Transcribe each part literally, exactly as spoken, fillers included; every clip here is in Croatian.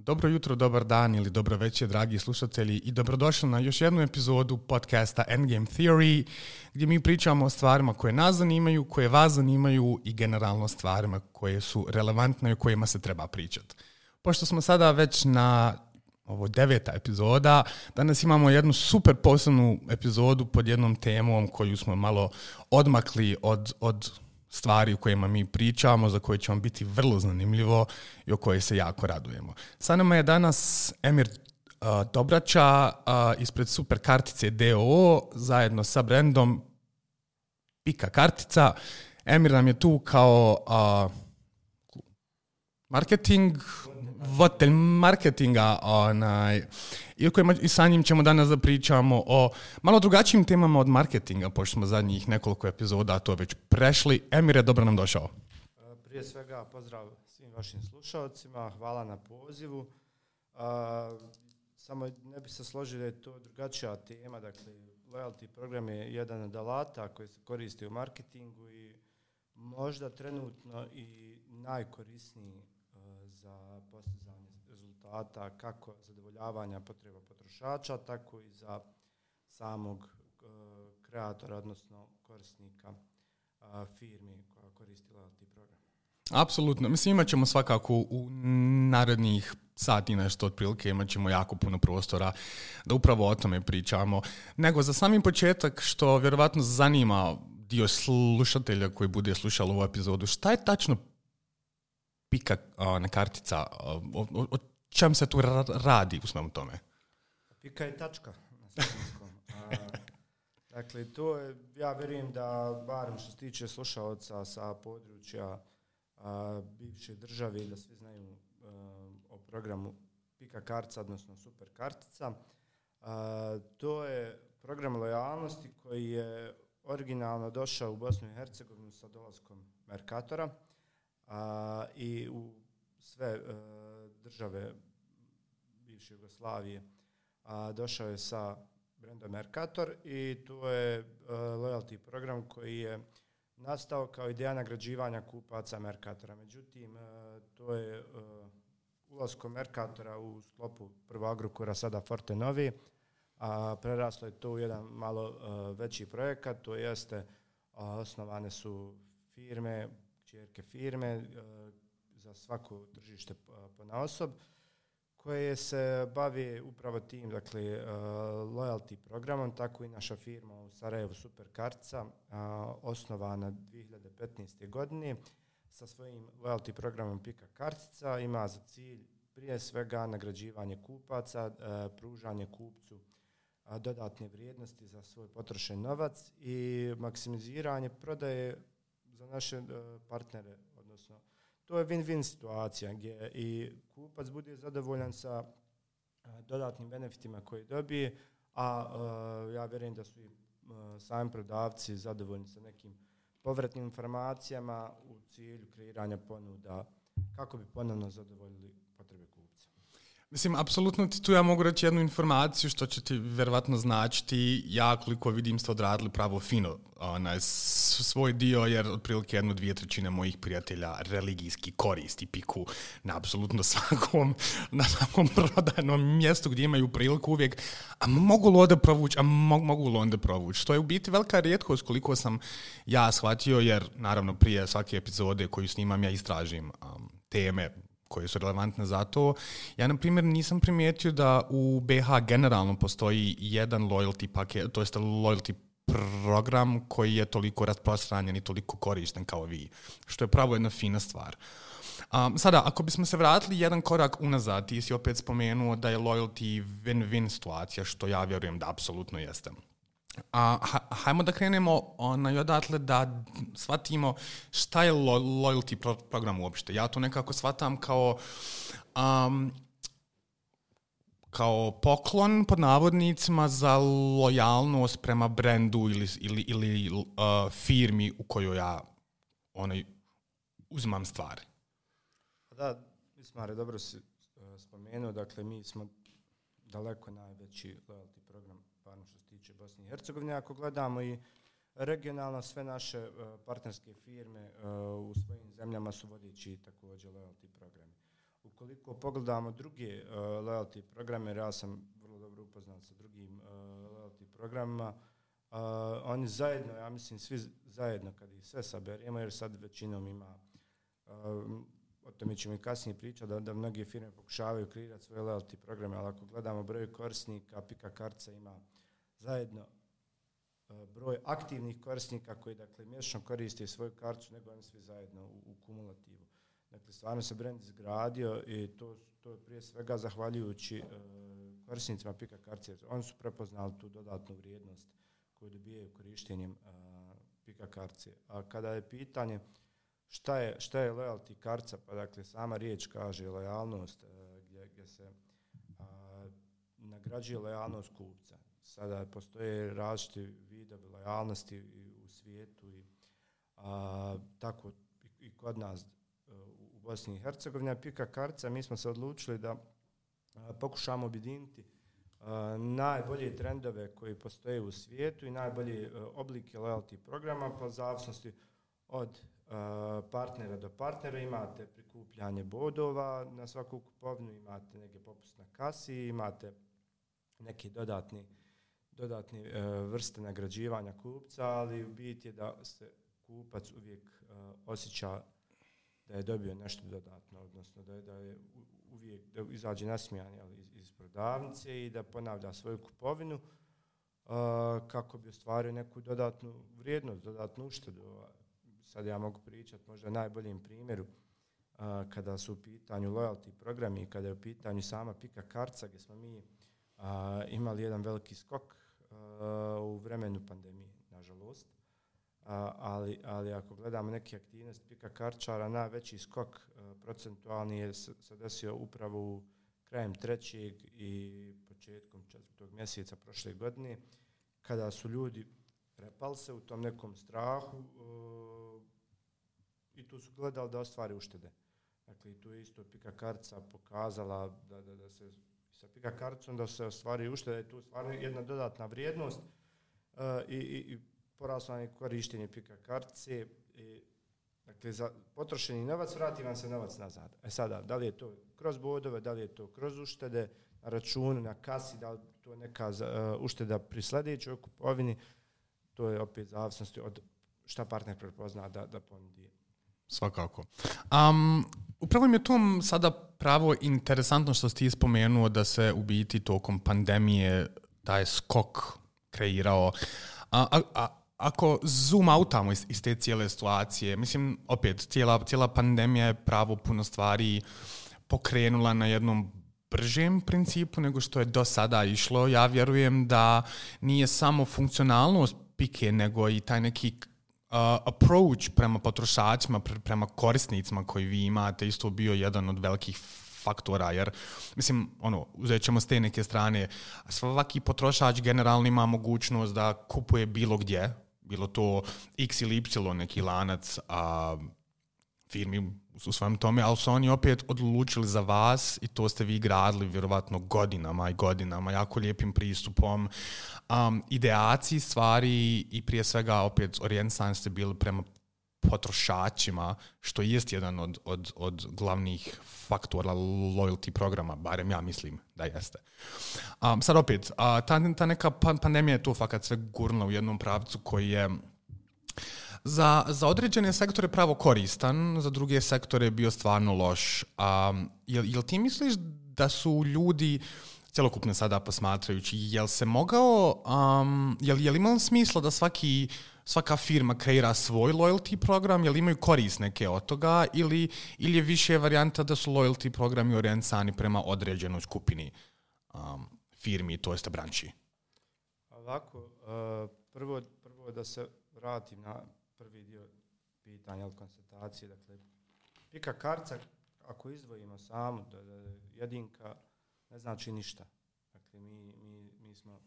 Dobro jutro, dobar dan ili dobro večer, dragi slušatelji, i dobrodošli na još jednu epizodu podcasta Endgame Theory, gdje mi pričamo o stvarima koje nas zanimaju, koje vas zanimaju i generalno stvarima koje su relevantne i o kojima se treba pričati. Pošto smo sada već na ovo deveta epizoda, danas imamo jednu super posebnu epizodu pod jednom temom koju smo malo odmakli od, od stvari u kojima mi pričamo, za koje će vam biti vrlo zanimljivo i o kojoj se jako radujemo. Sa nama je danas Emir uh, Dobraća uh, ispred Super Kartice d o o zajedno sa brandom Pika Kartica. Emir nam je tu kao uh, marketing, voditelj marketinga, onaj, i, kojima, i sa njim ćemo danas da pričamo o malo drugačijim temama od marketinga, pošto smo zadnjih nekoliko epizoda to već prešli. Emire, dobro nam došao. Prije svega pozdrav svim vašim slušalcima, hvala na pozivu. Uh, samo ne bi se složio da je to drugačija tema, dakle loyalty program je jedan od alata koji se koristi u marketingu i možda trenutno i najkorisniji za postizanje rezultata kako zadovoljavanja potreba potrošača, tako i za samog uh, kreatora, odnosno korisnika uh, firmi koja koristi loyalty program. Apsolutno. Mislim, imat ćemo svakako u narednih sati nešto otprilike, imat ćemo jako puno prostora da upravo o tome pričamo. Nego za sami početak, što vjerovatno zanima dio slušatelja koji bude slušao ovu epizodu, šta je tačno Pika na kartica, o, o, o čem se tu radi u svemu tome? Pika je tačka na srpskom. Dakle, to je, ja vjerujem da, barem što se tiče slušalca sa područja a, bivše države, da svi znaju a, o programu Pika Kartica, odnosno Super Kartica. A, to je program lojalnosti koji je originalno došao u Bosnu i Hercegovinu sa dolaskom Mercatora. Uh, i u sve uh, države bivše Jugoslavije uh, došao je sa brandom Mercator i to je uh, loyalty program koji je nastao kao ideja nagrađivanja kupaca Mercatora. Međutim, uh, to je uh, ulaskom Mercatora u sklopu prvo Agrokora, sada Fortenovi, a uh, preraslo je to u jedan malo uh, veći projekat, to jeste uh, osnovane su firme, čerke firme uh, za svako tržište uh, ponaosob koje se bavi upravo tim, dakle, uh, loyalty programom, tako i naša firma u Sarajevu Super Kartica, uh, osnovana dvije hiljade petnaeste. godine sa svojim loyalty programom Pika Kartica, ima za cilj prije svega nagrađivanje kupaca, uh, pružanje kupcu uh, dodatne vrijednosti za svoj potrošen novac i maksimiziranje prodaje za naše uh, partnere, odnosno to je win-win situacija gdje i kupac bude zadovoljan sa uh, dodatnim benefitima koje dobije, a uh, ja vjerujem da su i uh, sami prodavci zadovoljni sa nekim povratnim informacijama u cilju kreiranja ponuda kako bi ponovno zadovoljili potrebe kupca. Mislim, apsolutno ti tu ja mogu reći jednu informaciju što će ti vjerovatno značiti. Ja koliko vidim ste odradili pravo fino onaj, svoj dio, jer otprilike jednu, dvije trećine mojih prijatelja religijski koristi Piku na apsolutno svakom, na svakom prodajnom mjestu gdje imaju priliku uvijek, a mogu li onda provući, a mogu, mogu li onda provući. To je u biti velika rijetkost koliko sam ja shvatio, jer naravno prije svake epizode koju snimam ja istražim um, teme koje su relevantne za to. Ja, na primjer, nisam primijetio da u B H generalno postoji jedan loyalty paket, to jest loyalty program koji je toliko rasprostranjen i toliko korišten kao vi, što je pravo jedna fina stvar. Um, sada, ako bismo se vratili jedan korak unazad, ti si opet spomenuo da je loyalty win-win situacija, što ja vjerujem da apsolutno jeste. A, hajmo da krenemo onaj odatle da shvatimo šta je lo, loyalty pro, program uopšte. Ja to nekako shvatam kao um, kao poklon pod navodnicima za lojalnost prema brendu ili, ili, ili uh, firmi u kojoj ja onaj, uzimam stvari. Da, Ismare, dobro si uh, spomenuo, dakle mi smo daleko najveći loyalty program, parno što se tiče Bosne i Hercegovine. Ako gledamo i regionalno, sve naše uh, partnerske firme uh, u svojim zemljama su vodeći također loyalty programi. ukoliko pogledamo druge uh, loyalty programe, ja sam vrlo dobro upoznat sa drugim uh, loyalty programima, uh, oni zajedno, ja mislim svi zajedno kad ih sve saberemo, jer sad većinom ima, uh, o tome ćemo i kasnije pričati, da, da mnoge firme pokušavaju kreirati svoje loyalty programe, ali ako gledamo broj korisnika, Pika kartica ima zajedno broj aktivnih korisnika koji dakle mjesečno koriste svoju kartu, nego oni svi zajedno u, u kumulativu. Dakle, stvarno se brand izgradio i to, to je prije svega zahvaljujući uh, korisnicima Pika kartice. Oni su prepoznali tu dodatnu vrijednost koju dobijaju korištenjem uh, Pika kartice. A kada je pitanje šta je, šta je loyalty kartica, pa dakle sama riječ kaže lojalnost, uh, gdje, gdje se uh, nagrađuje lojalnost kupca. Sada postoje različiti vidovi lojalnosti u svijetu i a, tako i, i kod nas u Bosni i Hercegovini. Pika kartica, mi smo se odlučili da a, pokušamo objediniti a, najbolje trendove koji postoje u svijetu i najbolje a, oblike loyalty programa, po zavisnosti od a, partnera do partnera. Imate prikupljanje bodova na svaku kupovinu, imate neke popust na kasi, imate neki dodatni dodatne uh, vrste nagrađivanja kupca, ali u biti je da se kupac uvijek uh, osjeća da je dobio nešto dodatno, odnosno da je, da je uvijek da izađe nasmijan iz, iz prodavnice i da ponavlja svoju kupovinu uh, kako bi ostvario neku dodatnu vrijednost, dodatnu uštedu. Sad ja mogu pričati možda najboljem primjeru uh, kada su u pitanju loyalty programi i kada je u pitanju sama Pika kartica, gdje smo mi uh, imali jedan veliki skok u vremenu pandemije, nažalost. A, ali, ali ako gledamo neke aktivnosti Pika karčara, najveći skok a, procentualni je se desio upravo u krajem trećeg i početkom četvrtog mjeseca prošle godine, kada su ljudi prepali se u tom nekom strahu a, i tu su gledali da ostvare uštede. Dakle, i tu je isto Pika kartica pokazala da, da, da se sa Pika karticom da se ostvari ušteda, je tu stvarno jedna dodatna vrijednost uh, i, i, i poraslo je korištenje Pika kartice. I, dakle, za potrošeni novac vrati vam se novac nazad. E sada, da li je to kroz bodove, da li je to kroz uštede na računu, na kasi, da li to neka uh, ušteda pri sljedećoj kupovini, to je opet zavisnosti od šta partner prepozna da, da ponudi. Svakako. Um, upravo mi je to sada pravo interesantno što si ti spomenuo da se u biti tokom pandemije taj skok kreirao. A, a, a, ako zoom outamo iz, iz te cijele situacije, mislim, opet, cijela, cijela pandemija je pravo puno stvari pokrenula na jednom bržem principu nego što je do sada išlo. Ja vjerujem da nije samo funkcionalnost Pike, nego i taj neki Uh, approach prema potrošačima, pre, prema korisnicima koji vi imate isto bio jedan od velikih faktora, jer mislim, ono, uzet ćemo s te neke strane, svaki potrošač generalno ima mogućnost da kupuje bilo gdje, bilo to X ili Y neki lanac a, firmi u svojem tome, ali su oni opet odlučili za vas i to ste vi gradili vjerovatno godinama i godinama, jako lijepim pristupom, um, ideaciji stvari i prije svega opet orijentisani ste bili prema potrošačima, što jest jedan od, od, od glavnih faktora loyalty programa, barem ja mislim da jeste. Um, sad opet, uh, ta, ta neka pandemija je to fakat sve gurnula u jednom pravcu koji je Za, za određene sektore pravo koristan, za druge sektore je bio stvarno loš. Um, jel, jel ti misliš da su ljudi, cjelokupno sada posmatrajući, jel se mogao, um, jel, jel imalo smisla da svaki, svaka firma kreira svoj loyalty program, jel imaju korist neke od toga, ili, ili je više varijanta da su loyalty programi orijentisani prema određenoj skupini um, firmi, to jeste branči? Ovako, uh, prvo, prvo da se vratim na prvi dio pitanja ili konstatacije. Dakle, Pika kartica, ako izdvojimo samu, da, da, jedinka ne znači ništa. Dakle, mi, mi, mi smo,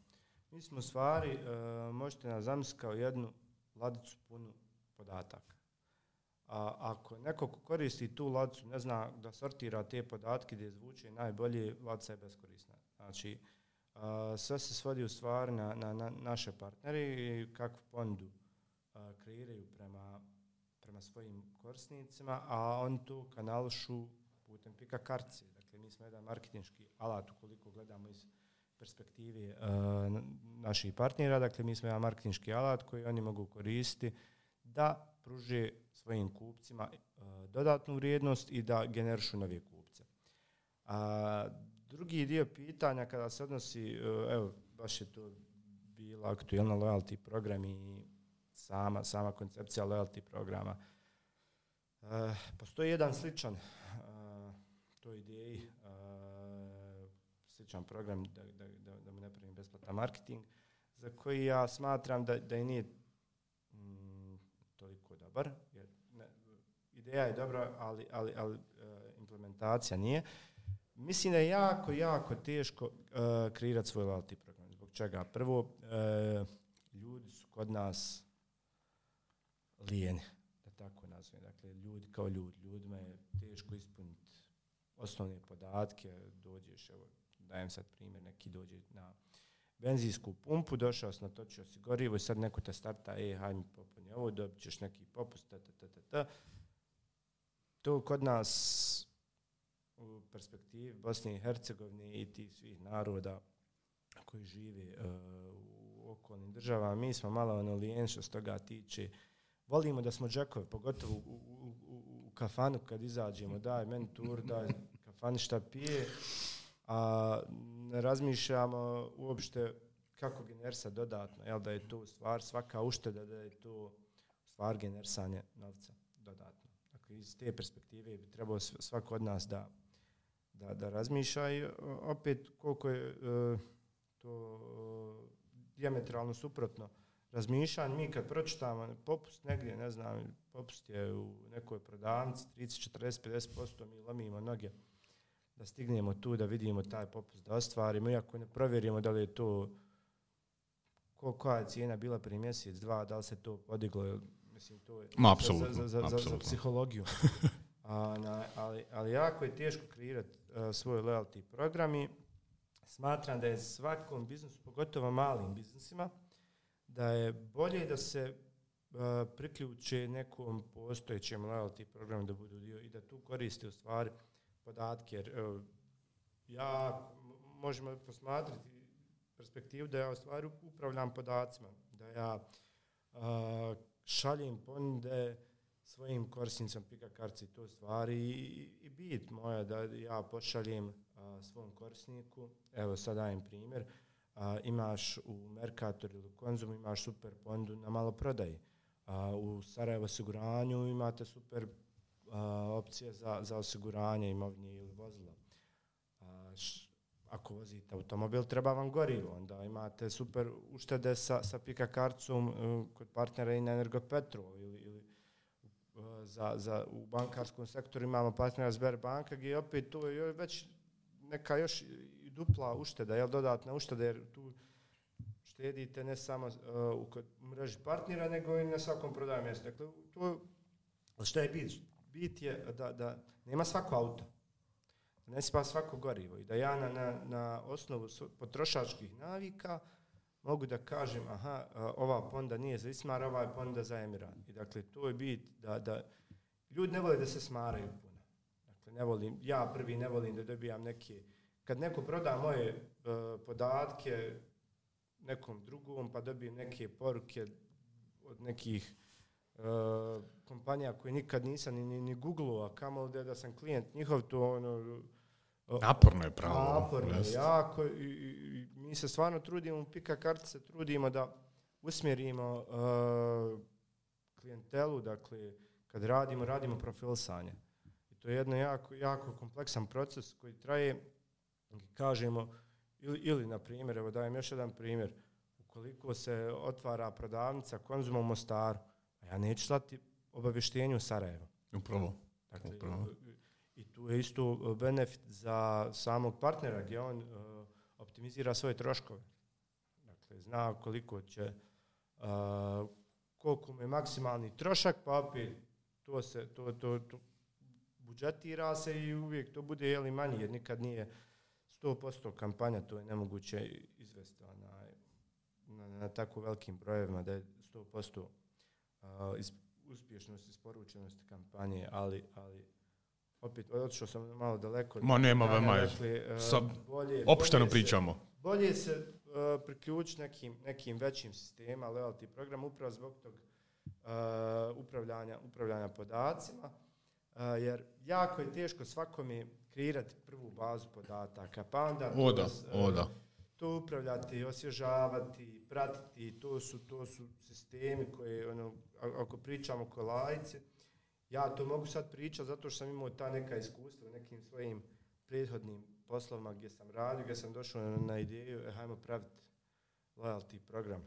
mi smo u stvari, uh, možete nas zamisliti kao jednu ladicu punu podataka. A ako neko koristi tu ladicu, ne zna da sortira te podatke gdje zvuče najbolje, ladica je beskorisna. Znači, uh, sve se svodi u stvari na, na, na naše partnere i kakvu ponudu kreiraju prema, prema svojim korisnicima, a oni tu kanališu putem pika kartice. Dakle, mi smo jedan marketinški alat ukoliko gledamo iz perspektive uh, naših partnera. Dakle, mi smo jedan marketinški alat koji oni mogu koristiti da pruže svojim kupcima uh, dodatnu vrijednost i da generišu nove kupce. A drugi dio pitanja kada se odnosi, uh, evo, baš je to bila aktuelna loyalty program i sama, sama koncepcija loyalty programa. Uh, postoji jedan sličan uh, toj ideji, uh, sličan program, da, da, da, da mu ne pravim besplatan marketing, za koji ja smatram da, da i nije mm, toliko dobar. Jer ne, ideja je dobra, ali, ali, ali uh, implementacija nije. Mislim da je jako, jako teško uh, kreirati svoj loyalty program. Zbog čega? Prvo, uh, ljudi su kod nas lijeni, da tako nazvem. Dakle, ljudi kao ljudi. Ljudima je teško ispuniti osnovne podatke. Dođeš, evo, dajem sad primjer, neki dođe na benzinsku pumpu, došao si, natočio si gorivo i sad neko te starta, e, hajde mi popuni ovo, dobit ćeš neki popust, ta, ta, ta, ta, ta. To kod nas u perspektivi Bosne i Hercegovine i tih svih naroda koji žive uh, u okolnim državama, mi smo malo lijeni što se toga tiče. Volimo da smo džakovi, pogotovo u, u, u, u kafanu kad izađemo, daj meni tur, daj kafani šta pije, a ne razmišljamo uopšte kako generisati dodatno, jel da je to stvar svaka ušteda, da je to stvar generisanje novca dodatno. Dakle, iz te perspektive bi trebalo svako od nas da, da, da razmišlja i opet koliko je uh, to uh, dijametralno suprotno razmišljanje. Mi kad pročitamo popust negdje, ne znam, popust je u nekoj prodavnici trideset, četrdeset, pedeset posto, mi lomimo noge da stignemo tu, da vidimo taj popust, da ostvarimo, iako ne provjerimo da li je to, koja je cijena bila prije mjesec, dva, da li se to podiglo, mislim, to je Ma, za, za, za, za, za psihologiju. A, na, ali, ali jako je teško kreirati uh, svoj loyalty program i smatram da je svakom biznisu, pogotovo malim biznisima, da je bolje da se uh, priključe nekom postojećem loyalty programu da budu dio i da tu koriste u stvari podatke. Jer uh, ja možemo posmatrati perspektivu da ja u stvari upravljam podacima, da ja uh, šaljem ponude svojim korisnicom pika kartice, to stvari i, i bit moja da ja pošaljem uh, svom korisniku, evo sad dajem primjer, uh, imaš u Mercatoru ili Konzumu imaš super ponudu na maloprodaji, uh, u Sarajevo osiguranju imate super uh, opcije za, za osiguranje imovine ili vozila. Uh, š, ako vozite automobil, treba vam gorivo, onda imate super uštede sa, sa pika karticom uh, kod partnera i na Energopetrol ili, ili Za, za, u bankarskom sektoru imamo partnera Sberbanka gdje opet tu je već neka još i dupla ušteda, jel, dodatna ušteda, jer tu štedite ne samo uh, u mreži partnera, nego i na svakom prodajnom mjestu. Dakle, to, što je bit? Bit je da, da nema svako auto, da ne sipa svako gorivo i da ja na, na, na osnovu potrošačkih navika mogu da kažem, aha, ova ponuda nije za Ismar, ova je ponuda za Emiran. I dakle, to je bit da, da ljudi ne vole da se smaraju puno. Dakle, ne volim, ja prvi ne volim da dobijam neke, kad neko proda moje uh, podatke nekom drugom, pa dobijem neke poruke od nekih uh, kompanija koje nikad nisam ni, ni, ni googlao, a kamoli da, da sam klijent njihov, to ono, naporno je pravo. Naporno je jako i, i, i mi se stvarno trudimo, u pika kartice trudimo da usmjerimo uh, klijentelu, dakle, kad radimo, radimo profilisanje. I to je jedno jako, jako kompleksan proces koji traje, kažemo, ili, ili na primjer, evo dajem još jedan primjer, ukoliko se otvara prodavnica Konzuma u Mostaru, a ja neću slati obavještenju u Sarajevo. Upravo. Dakle, Upravo. I tu je isto benefit za samog partnera gdje on uh, optimizira svoje troškove. Dakle, zna koliko će, uh, koliko mu je maksimalni trošak, pa opet to se, to, to, to budžetira se i uvijek to bude jeli manji, jer nikad nije sto posto kampanja, to je nemoguće izvesti na, na, na tako velikim brojevima da je sto posto uh, iz, uspješnost isporučenosti kampanje, ali, ali opet otišao sam malo daleko. Ma nema vema, dakle, uh, bolje, opušteno bolje pričamo. Se, bolje se uh, priključiti nekim, nekim većim sistema, loyalty program, upravo zbog tog uh, upravljanja, upravljanja podacima, uh, jer jako je teško svakome kreirati prvu bazu podataka, pa onda o da, uh, o da. to upravljati, osvježavati, pratiti, to su, to su sistemi koje, ono, ako pričamo ko laici, ja to mogu sad pričati zato što sam imao ta neka iskustva u nekim svojim prethodnim poslovima gdje sam radio, gdje sam došao na, na ideju, e, hajmo praviti loyalty program.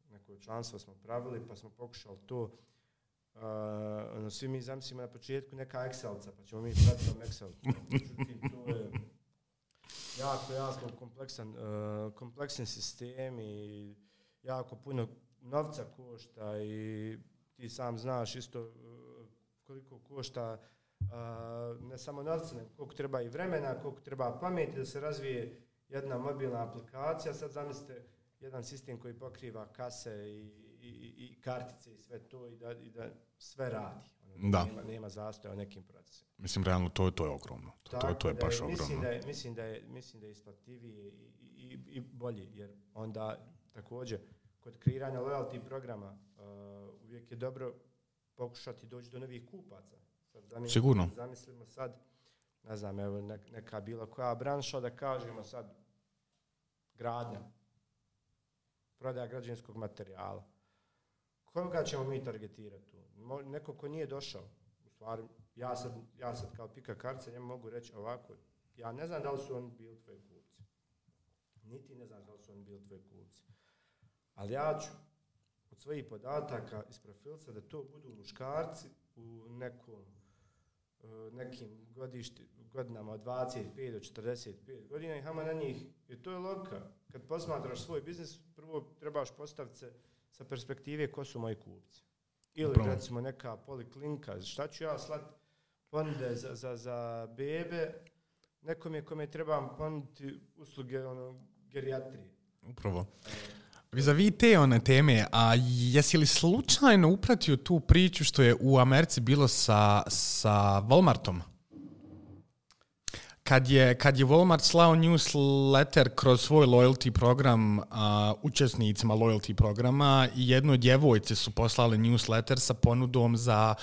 Neko članstvo smo pravili, pa smo pokušali to, uh, ono, svi mi zamislimo na početku neka Excelca, pa ćemo mi pratiti tom Excelcu. Međutim, to je jako, jako kompleksan, uh, kompleksan sistem i jako puno novca košta i ti sam znaš isto uh, koliko košta uh, ne samo novca, nego koliko treba i vremena, koliko treba pameti da se razvije jedna mobilna aplikacija. Sad zamislite jedan sistem koji pokriva kase i, i, i kartice i sve to i da, i da sve radi. Ono, da. Nema, nema zastoja u nekim procesima. Mislim, realno, to, to je ogromno. To, to, to je baš da je, mislim ogromno. Da je, mislim, da je, mislim da je isplativije i, i, i bolji, jer onda također kod kreiranja loyalty programa uh, uvijek je dobro pokušati doći do novih kupaca. Sad zamislimo, Sigurno. Zamislimo sad, ne znam, evo neka bilo koja branša, da kažemo sad gradnja, prodaja građevinskog materijala. Koga ćemo mi targetirati tu? Neko ko nije došao. U stvari, ja sad, ja sad kao pika kartica njemu mogu reći ovako, ja ne znam da li su oni bili tvoji kupci. Niti ne znam da li su oni bili tvoji kupci. Ali ja ću od svojih podataka iz profilca da to budu muškarci u nekom, nekim godišti, godinama od dvadeset pet do četrdeset pet godina i hama na njih. Jer to je logika. Kad posmatraš svoj biznis, prvo trebaš postaviti se sa perspektive ko su moji kupci. Ili Upravo. recimo neka poliklinika, šta ću ja slat ponude za, za, za bebe, nekom je kome trebam ponuditi usluge ono, gerijatrije. Upravo. Vis-a-vis te one teme, a jesi li slučajno upratio tu priču što je u Americi bilo sa, sa Walmartom? Kad je, kad je Walmart slao newsletter kroz svoj loyalty program uh, učesnicima loyalty programa i jednoj djevojci su poslali newsletter sa ponudom za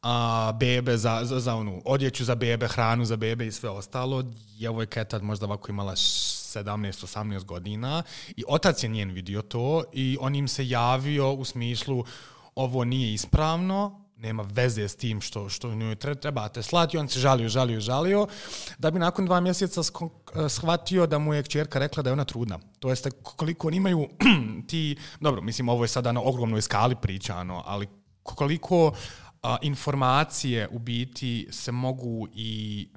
uh, bebe, za, za, za onu odjeću za bebe, hranu za bebe i sve ostalo. Djevojka je tad možda ovako imala sedamnaest osamnaest godina i otac je njen vidio to i on im se javio u smislu ovo nije ispravno, nema veze s tim što, što njoj trebate slati. On se žalio, žalio, žalio, da bi nakon dva mjeseca shvatio da mu je kćerka rekla da je ona trudna. To jeste koliko oni imaju ti, dobro, mislim ovo je sada na ogromnoj skali pričano, ali koliko a, informacije u biti se mogu i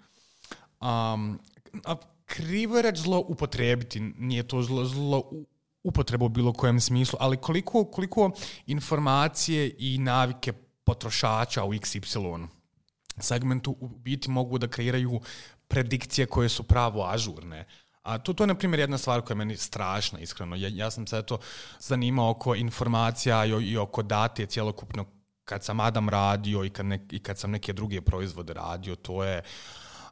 um, a, krivo je reći zlo upotrebiti, nije to zlo, zlo upotreba u bilo kojem smislu, ali koliko, koliko informacije i navike potrošača u iks ipsilon segmentu u biti mogu da kreiraju predikcije koje su pravo ažurne. A to, to je, na primjer, jedna stvar koja je meni strašna, iskreno. Ja, ja sam se to zanimao oko informacija i, i oko date cjelokupno kad sam Adam radio i kad, ne, i kad sam neke druge proizvode radio. To je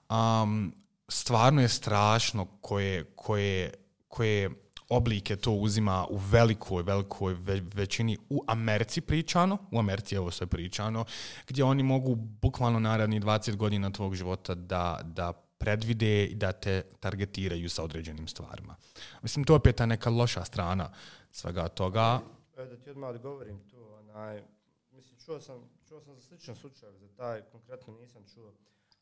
um, stvarno je strašno koje, koje, koje oblike to uzima u velikoj, velikoj većini u Americi pričano, u Americi je ovo sve pričano, gdje oni mogu bukvalno narednih dvadeset godina tvog života da, da predvide i da te targetiraju sa određenim stvarima. Mislim, to je opet ta neka loša strana svega toga. E, da ti odmah odgovorim tu, onaj, mislim, čuo sam, čuo sam za sličan slučaj, za taj konkretno nisam čuo,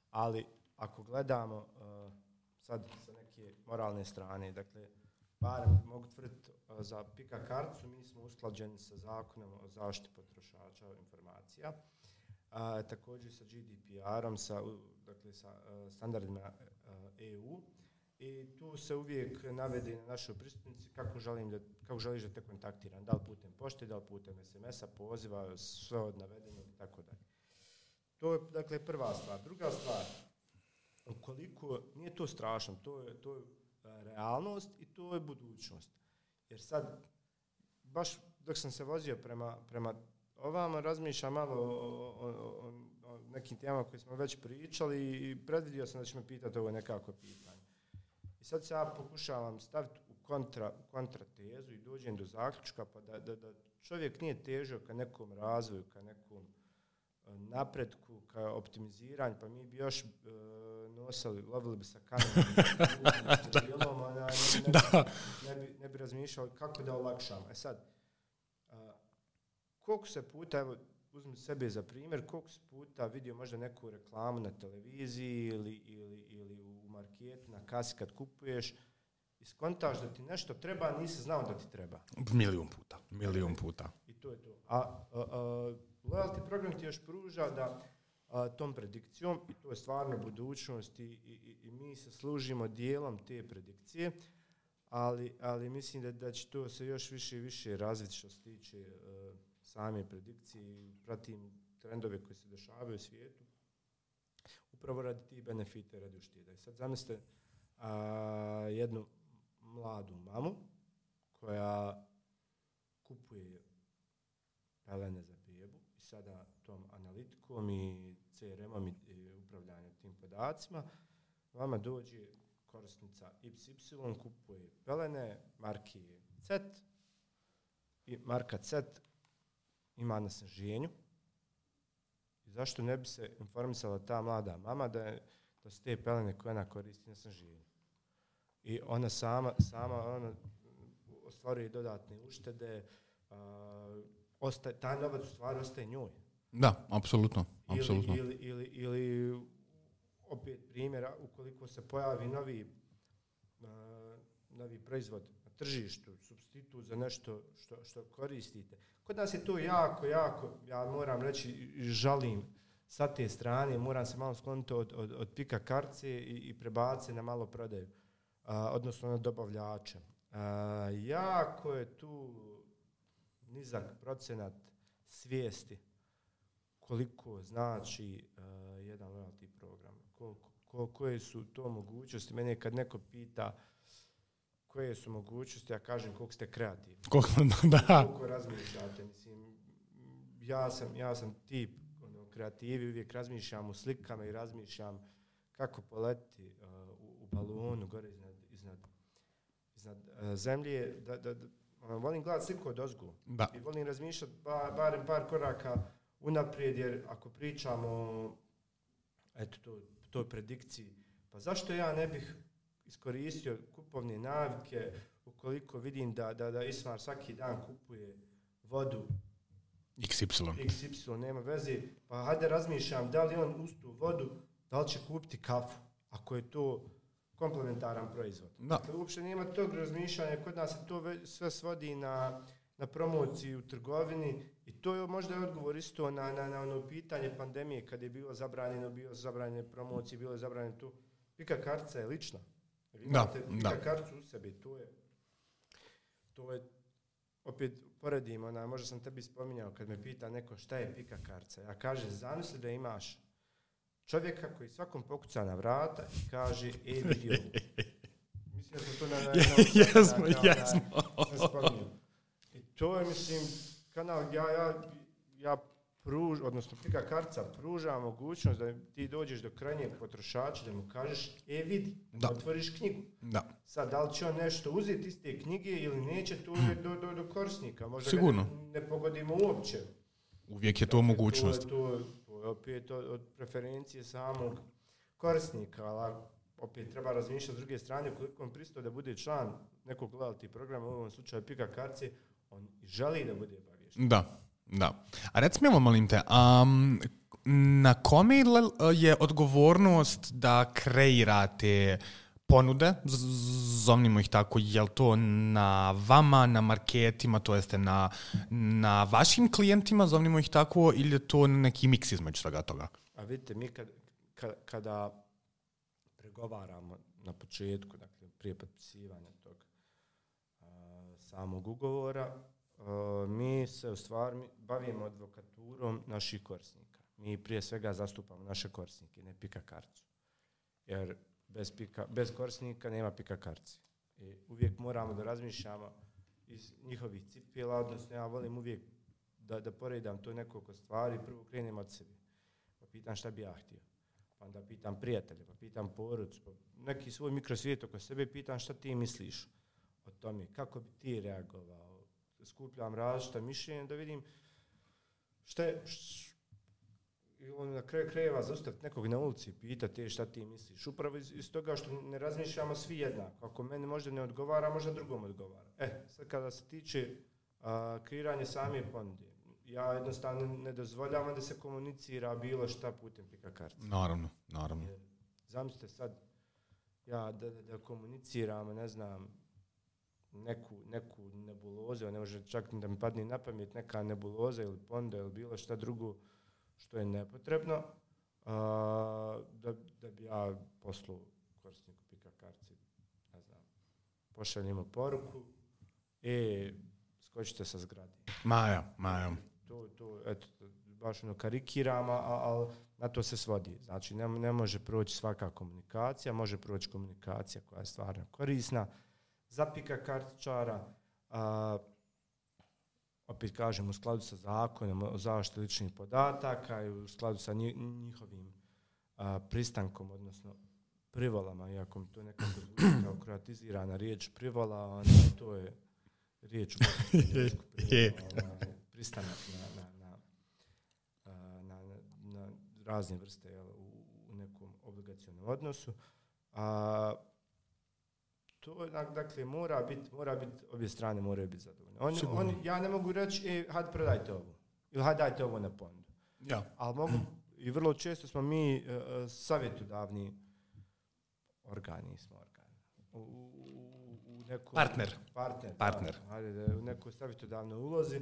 ali ako gledamo uh, sad sa neke moralne strane, dakle, barem mogu tvrditi za pika karticu, mi smo usklađeni sa zakonom o zaštiti potrošača informacija, a, također sa G D P R-om, sa, dakle, sa a, standardima a, E U i tu se uvijek navede na našoj pristupnici kako, želim da, kako želiš da te kontaktiram, da li putem pošte, da li putem es em es-a, poziva, sve od navedenog i tako dalje. To je, dakle, prva stvar. Druga stvar, ukoliko, nije to strašno, to je, to je realnost i to je budućnost. Jer sad, baš dok sam se vozio prema, prema ovamo razmišljam malo o, o, o, o nekim temama koje smo već pričali i predvidio sam da će me pitati ovo nekako pitanje. I sad se ja pokušavam staviti u kontra, u kontratezu i dođem do zaključka pa da, da, da čovjek nije težio ka nekom razvoju, ka nekom napretku, ka optimiziranju, pa mi bi još e, nosili, lovili bi sa kamenom, ne, ne, ne, bi, ne bi razmišljali kako da olakšamo. E sad, a, koliko se puta, evo, uzmi sebe za primjer, koliko se puta vidio možda neku reklamu na televiziji ili, ili, ili u marketu, na kasi kad kupuješ, i skontaš da ti nešto treba, a nisi znao da ti treba. Milijun puta, milijun puta. I to je to. A, a, a loyalty program ti još pruža da a, tom predikcijom, i to je stvarno budućnost, i, i, i mi se služimo dijelom te predikcije, ali, ali mislim da, da će to se još više i više razviti što se tiče uh, same predikcije. Pratim trendove koji se dešavaju u svijetu, upravo radi tih benefita i radi ušteda. I sad zamislite uh, jednu mladu mamu koja kupuje pelene za bebu i sada tom analitikom i C R M-om i, i upravljanjem tim podacima vama dođe korisnica iks ipsilon, kupuje pelene marke C E T i marka C E T ima na snaženju. I zašto ne bi se informisala ta mlada mama da, je, da su te pelene koje ona koristi na snaženju. I ona sama, sama ona ostvaruje dodatne uštede, uh, ostaje, taj novac u stvari ostaje njoj. Da, apsolutno. apsolutno. Ili, ili, ili, ili opet primjera, ukoliko se pojavi novi, uh, novi proizvod na tržištu, supstitut za nešto što, što koristite. Kod nas je to jako, jako, ja moram reći, žalim sa te strane, moram se malo skloniti od, od, od pika karce i, i prebaciti na malo prodaju. Uh, odnosno na dobavljača. Uh, jako je tu nizak procenat svijesti koliko znači uh, jedan loyalty program. Koliko, ko, koje su to mogućnosti. Mene kad neko pita koje su mogućnosti, ja kažem koliko ste kreativni. Koliko, da. Koliko razmišljate. Mislim, ja sam, ja sam tip ono, kreativi, uvijek razmišljam u slikama i razmišljam kako poleti uh, u, u balonu gore iznad, iznad, iznad uh, zemlje. Da, da, da, um, volim gledati sliku od ozgu. Da. I volim razmišljati ba, barem par koraka unaprijed, jer ako pričamo eto, to, toj predikciji, pa zašto ja ne bih iskoristio kupovne navike ukoliko vidim da, da, da Ismar svaki dan kupuje vodu iks ipsilon. iks ipsilon, nema veze, pa hajde razmišljam da li on uz tu vodu, da li će kupiti kafu, ako je to komplementaran proizvod. Da. Dakle, uopšte nema tog razmišljanja, kod nas se to sve svodi na, na promociju u trgovini i to je možda je odgovor isto na, na, na ono pitanje pandemije, kad je bilo zabranjeno, bilo zabranjene promocije, bilo je zabranjeno tu. Pika kartica je lična. Vi imate da, pika da. karticu u sebi, to je, to je opet poredim, ona, možda sam tebi spominjao kad me pita neko šta je pika kartica. Ja kažem, zamisli da imaš čovjeka koji svakom pokuca na vrata i kaže, e, vidio. Mislim da smo to na... na, na jesmo, jesmo. I to je, mislim, kanal, ja, ja, ja pruž, odnosno pika kartica pruža mogućnost da ti dođeš do krajnjeg potrošača, da mu kažeš, e, vidi, da otvoriš knjigu. Da. Sad, da li će on nešto uzeti iz te knjige ili neće, to je do, do, do korisnika. Možda sigurno. Ga ne, ne pogodimo uopće. Uvijek je to dakle, mogućnost. To je, to, to je opet od, od preferencije samog korisnika, ali opet treba razmišljati s druge strane, koliko on pristao da bude član nekog loyalty programa, u ovom slučaju pika kartice, on želi da bude obavješten. Da, da. A reci mi ovo, molim te, um, na kome je odgovornost da kreirate ponude, zovnimo ih tako, je li to na vama, na marketima, to jeste na, na vašim klijentima, zovnimo ih tako, ili je to neki miks između svega toga? A vidite, mi kad, kad, kada pregovaramo na početku, dakle prije potpisivanja tog uh, samog ugovora, uh, mi se u stvari bavimo advokaturom naših korisnika. Mi prije svega zastupamo naše korisnike, ne pika karticu. Jer bez, pika, bez korisnika nema pika kartice. I uvijek moramo da razmišljamo iz njihovih cipela, odnosno ja volim uvijek da, da poredam to nekoliko stvari, prvo krenem od sebe. Pa pitam šta bi ja htio. Pa onda pitam prijatelje, pa pitam porodicu, pa neki svoj mikrosvijet oko sebe, pitam šta ti misliš o tome, kako bi ti reagovao. Skupljam različita mišljenja da vidim šta je, š, on na kraju krajeva zaustaviti nekog na ulici i pitati šta ti misliš. Upravo iz, iz toga što ne razmišljamo svi jednako. Ako meni možda ne odgovara, možda drugom odgovara. E, sad kada se tiče a, kreiranje same ponude, ja jednostavno ne dozvoljavam da se komunicira bilo šta putem pika kartice. Naravno, naravno. Jer, zamislite sad, ja da, da, da komuniciram, ne znam, neku, neku nebulozu, ne može čak da mi padne na pamet neka nebuloza ili ponuda ili bilo šta drugo što je nepotrebno, a, da, da bi ja poslao korisniku pika kartice, ne znam, pošaljimo poruku, e, skočite sa zgrade. Maja, Maja. To, to, eto, baš ono karikiram, ali na to se svodi. Znači, ne, ne može proći svaka komunikacija, može proći komunikacija koja je stvarno korisna. Za pika kartičara, a, opet kažem, u skladu sa zakonom o zaštiti ličnih podataka i u skladu sa njihovim a, pristankom, odnosno privolama, iako mi to nekako zvuči kao kroatizirana riječ privola, onda to je riječ privola, pristanak na, na, na, na, na, na razne vrste, jel, u, u nekom obligacionom odnosu. A, to dakle mora biti, mora biti, obje strane moraju biti zadovoljne. Oni, oni, ja ne mogu reći, e, hajde prodajte ovo, ili hajde dajte ovo na ponudu. Ja. Ali mogu, i vrlo često smo mi uh, savjetodavni organi, smo organi. U, u, u nekom, partner. Partner. Partner. Da, hajde, da, u nekoj savjetodavnoj ulozi.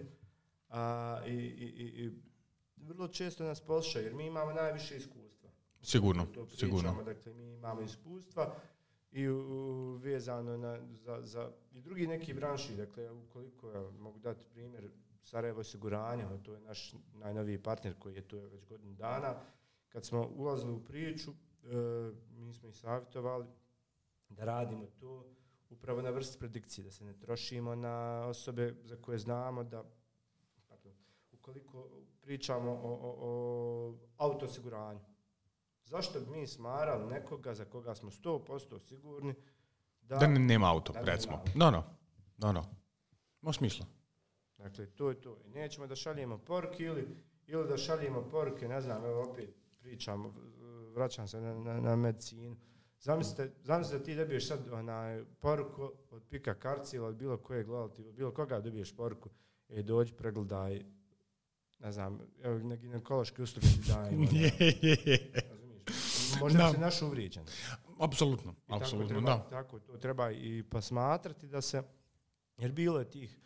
A, i, i, i, i vrlo često nas poslušaju, jer mi imamo najviše iskustva. Sigurno, to pričamo, sigurno. Dakle, mi imamo iskustva i u, vezano na, za, za i drugi neki branši, dakle, ukoliko ja mogu dati primjer Sarajevo osiguranje, to je naš najnoviji partner koji je tu već godinu dana. Kad smo ulazili u priču, e, mi smo ih savjetovali da radimo to upravo na vrsti predikcije, da se ne trošimo na osobe za koje znamo da, pardon, ukoliko pričamo o, o, o autoosiguranju, zašto bi mi smarali nekoga za koga smo sto posto sigurni da, da nema auto, da recimo. No, no, no, no. Ima smisla. Dakle, to je to. I nećemo da šaljemo poruke ili, ili da šaljemo poruke, ne znam, evo opet pričam, vraćam se na, na, na medicinu. Zamislite, zamislite da ti dobiješ sad onaj poruku od pika kartice ili od bilo kojeg gledaltiva, bilo koga dobiješ poruku, e, dođi, pregledaj, ne znam, evo, na ginekološke usluge ti dajem. Možda no. se naš uvrijeđen. Apsolutno, apsolutno, da. Tako to treba i posmatrati da se, jer bilo je tih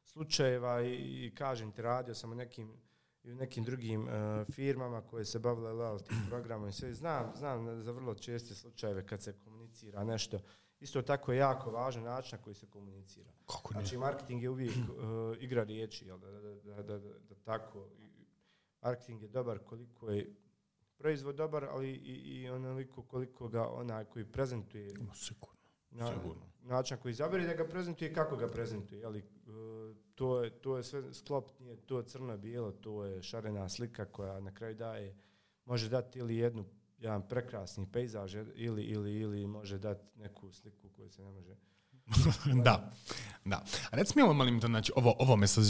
slučajeva i, i kažem ti, radio sam u nekim, i u nekim drugim uh, firmama koje se bavile loyalty programom i sve. Znam, znam za vrlo česte slučajeve kad se komunicira nešto. Isto tako je jako važan način na koji se komunicira. Kako znači, marketing je uvijek uh, igra riječi, jel, da, da, da, da, da, da tako. Marketing je dobar koliko je proizvod dobar, ali i, i onoliko koliko ga onaj koji prezentuje. Sigurno. Na, Sigurno. Način koji izabere da ga prezentuje i kako ga prezentuje. Jeli, uh, to, je, to je sve sklop, nije to crno-bijelo, to je šarena slika koja na kraju daje, može dati ili jednu, jedan prekrasni pejzaž ili, ili, ili može dati neku sliku koju se ne može... da, da. A recimo ovo malim to, znači, ovo, ovo me sa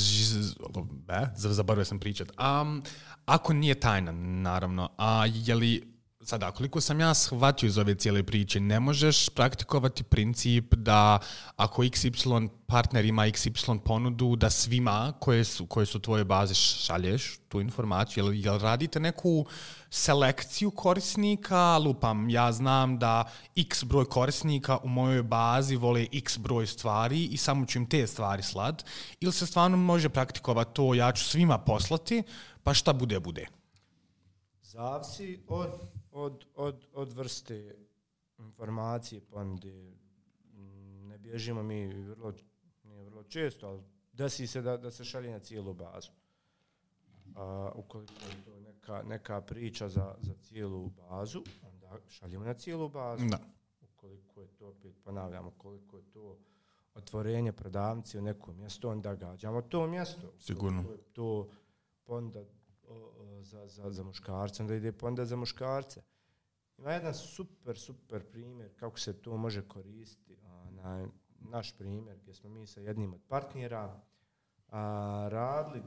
be, zaboravio sam pričat. Um, ako nije tajna, naravno, a je li, sada, koliko sam ja shvatio iz ove cijele priče, ne možeš praktikovati princip da ako iks ipsilon partner ima iks ipsilon ponudu, da svima koje su, koje su tvoje baze šalješ tu informaciju. Jel, jel radite neku selekciju korisnika? Lupam, ja znam da x broj korisnika u mojoj bazi vole x broj stvari i samo ću im te stvari slat. Ili se stvarno može praktikovati to, ja ću svima poslati, pa šta bude, bude? Zavisi od, od, od, od vrste informacije ponude. Ne bježimo mi vrlo, nije vrlo često, ali desi se da, da se šalje na cijelu bazu. A, ukoliko je to neka, neka priča za, za cijelu bazu, onda šaljemo na cijelu bazu. Da. Ukoliko je to, opet ponavljamo, koliko je to otvorenje prodavnice u nekom mjestu, onda gađamo to mjesto. Sigurno. To, to ponda o, o, za, za, za muškarce, onda ide ponda za muškarce. Ima jedan super, super primjer kako se to može koristiti. Na naš primjer gdje smo mi sa jednim od partnera a, radili,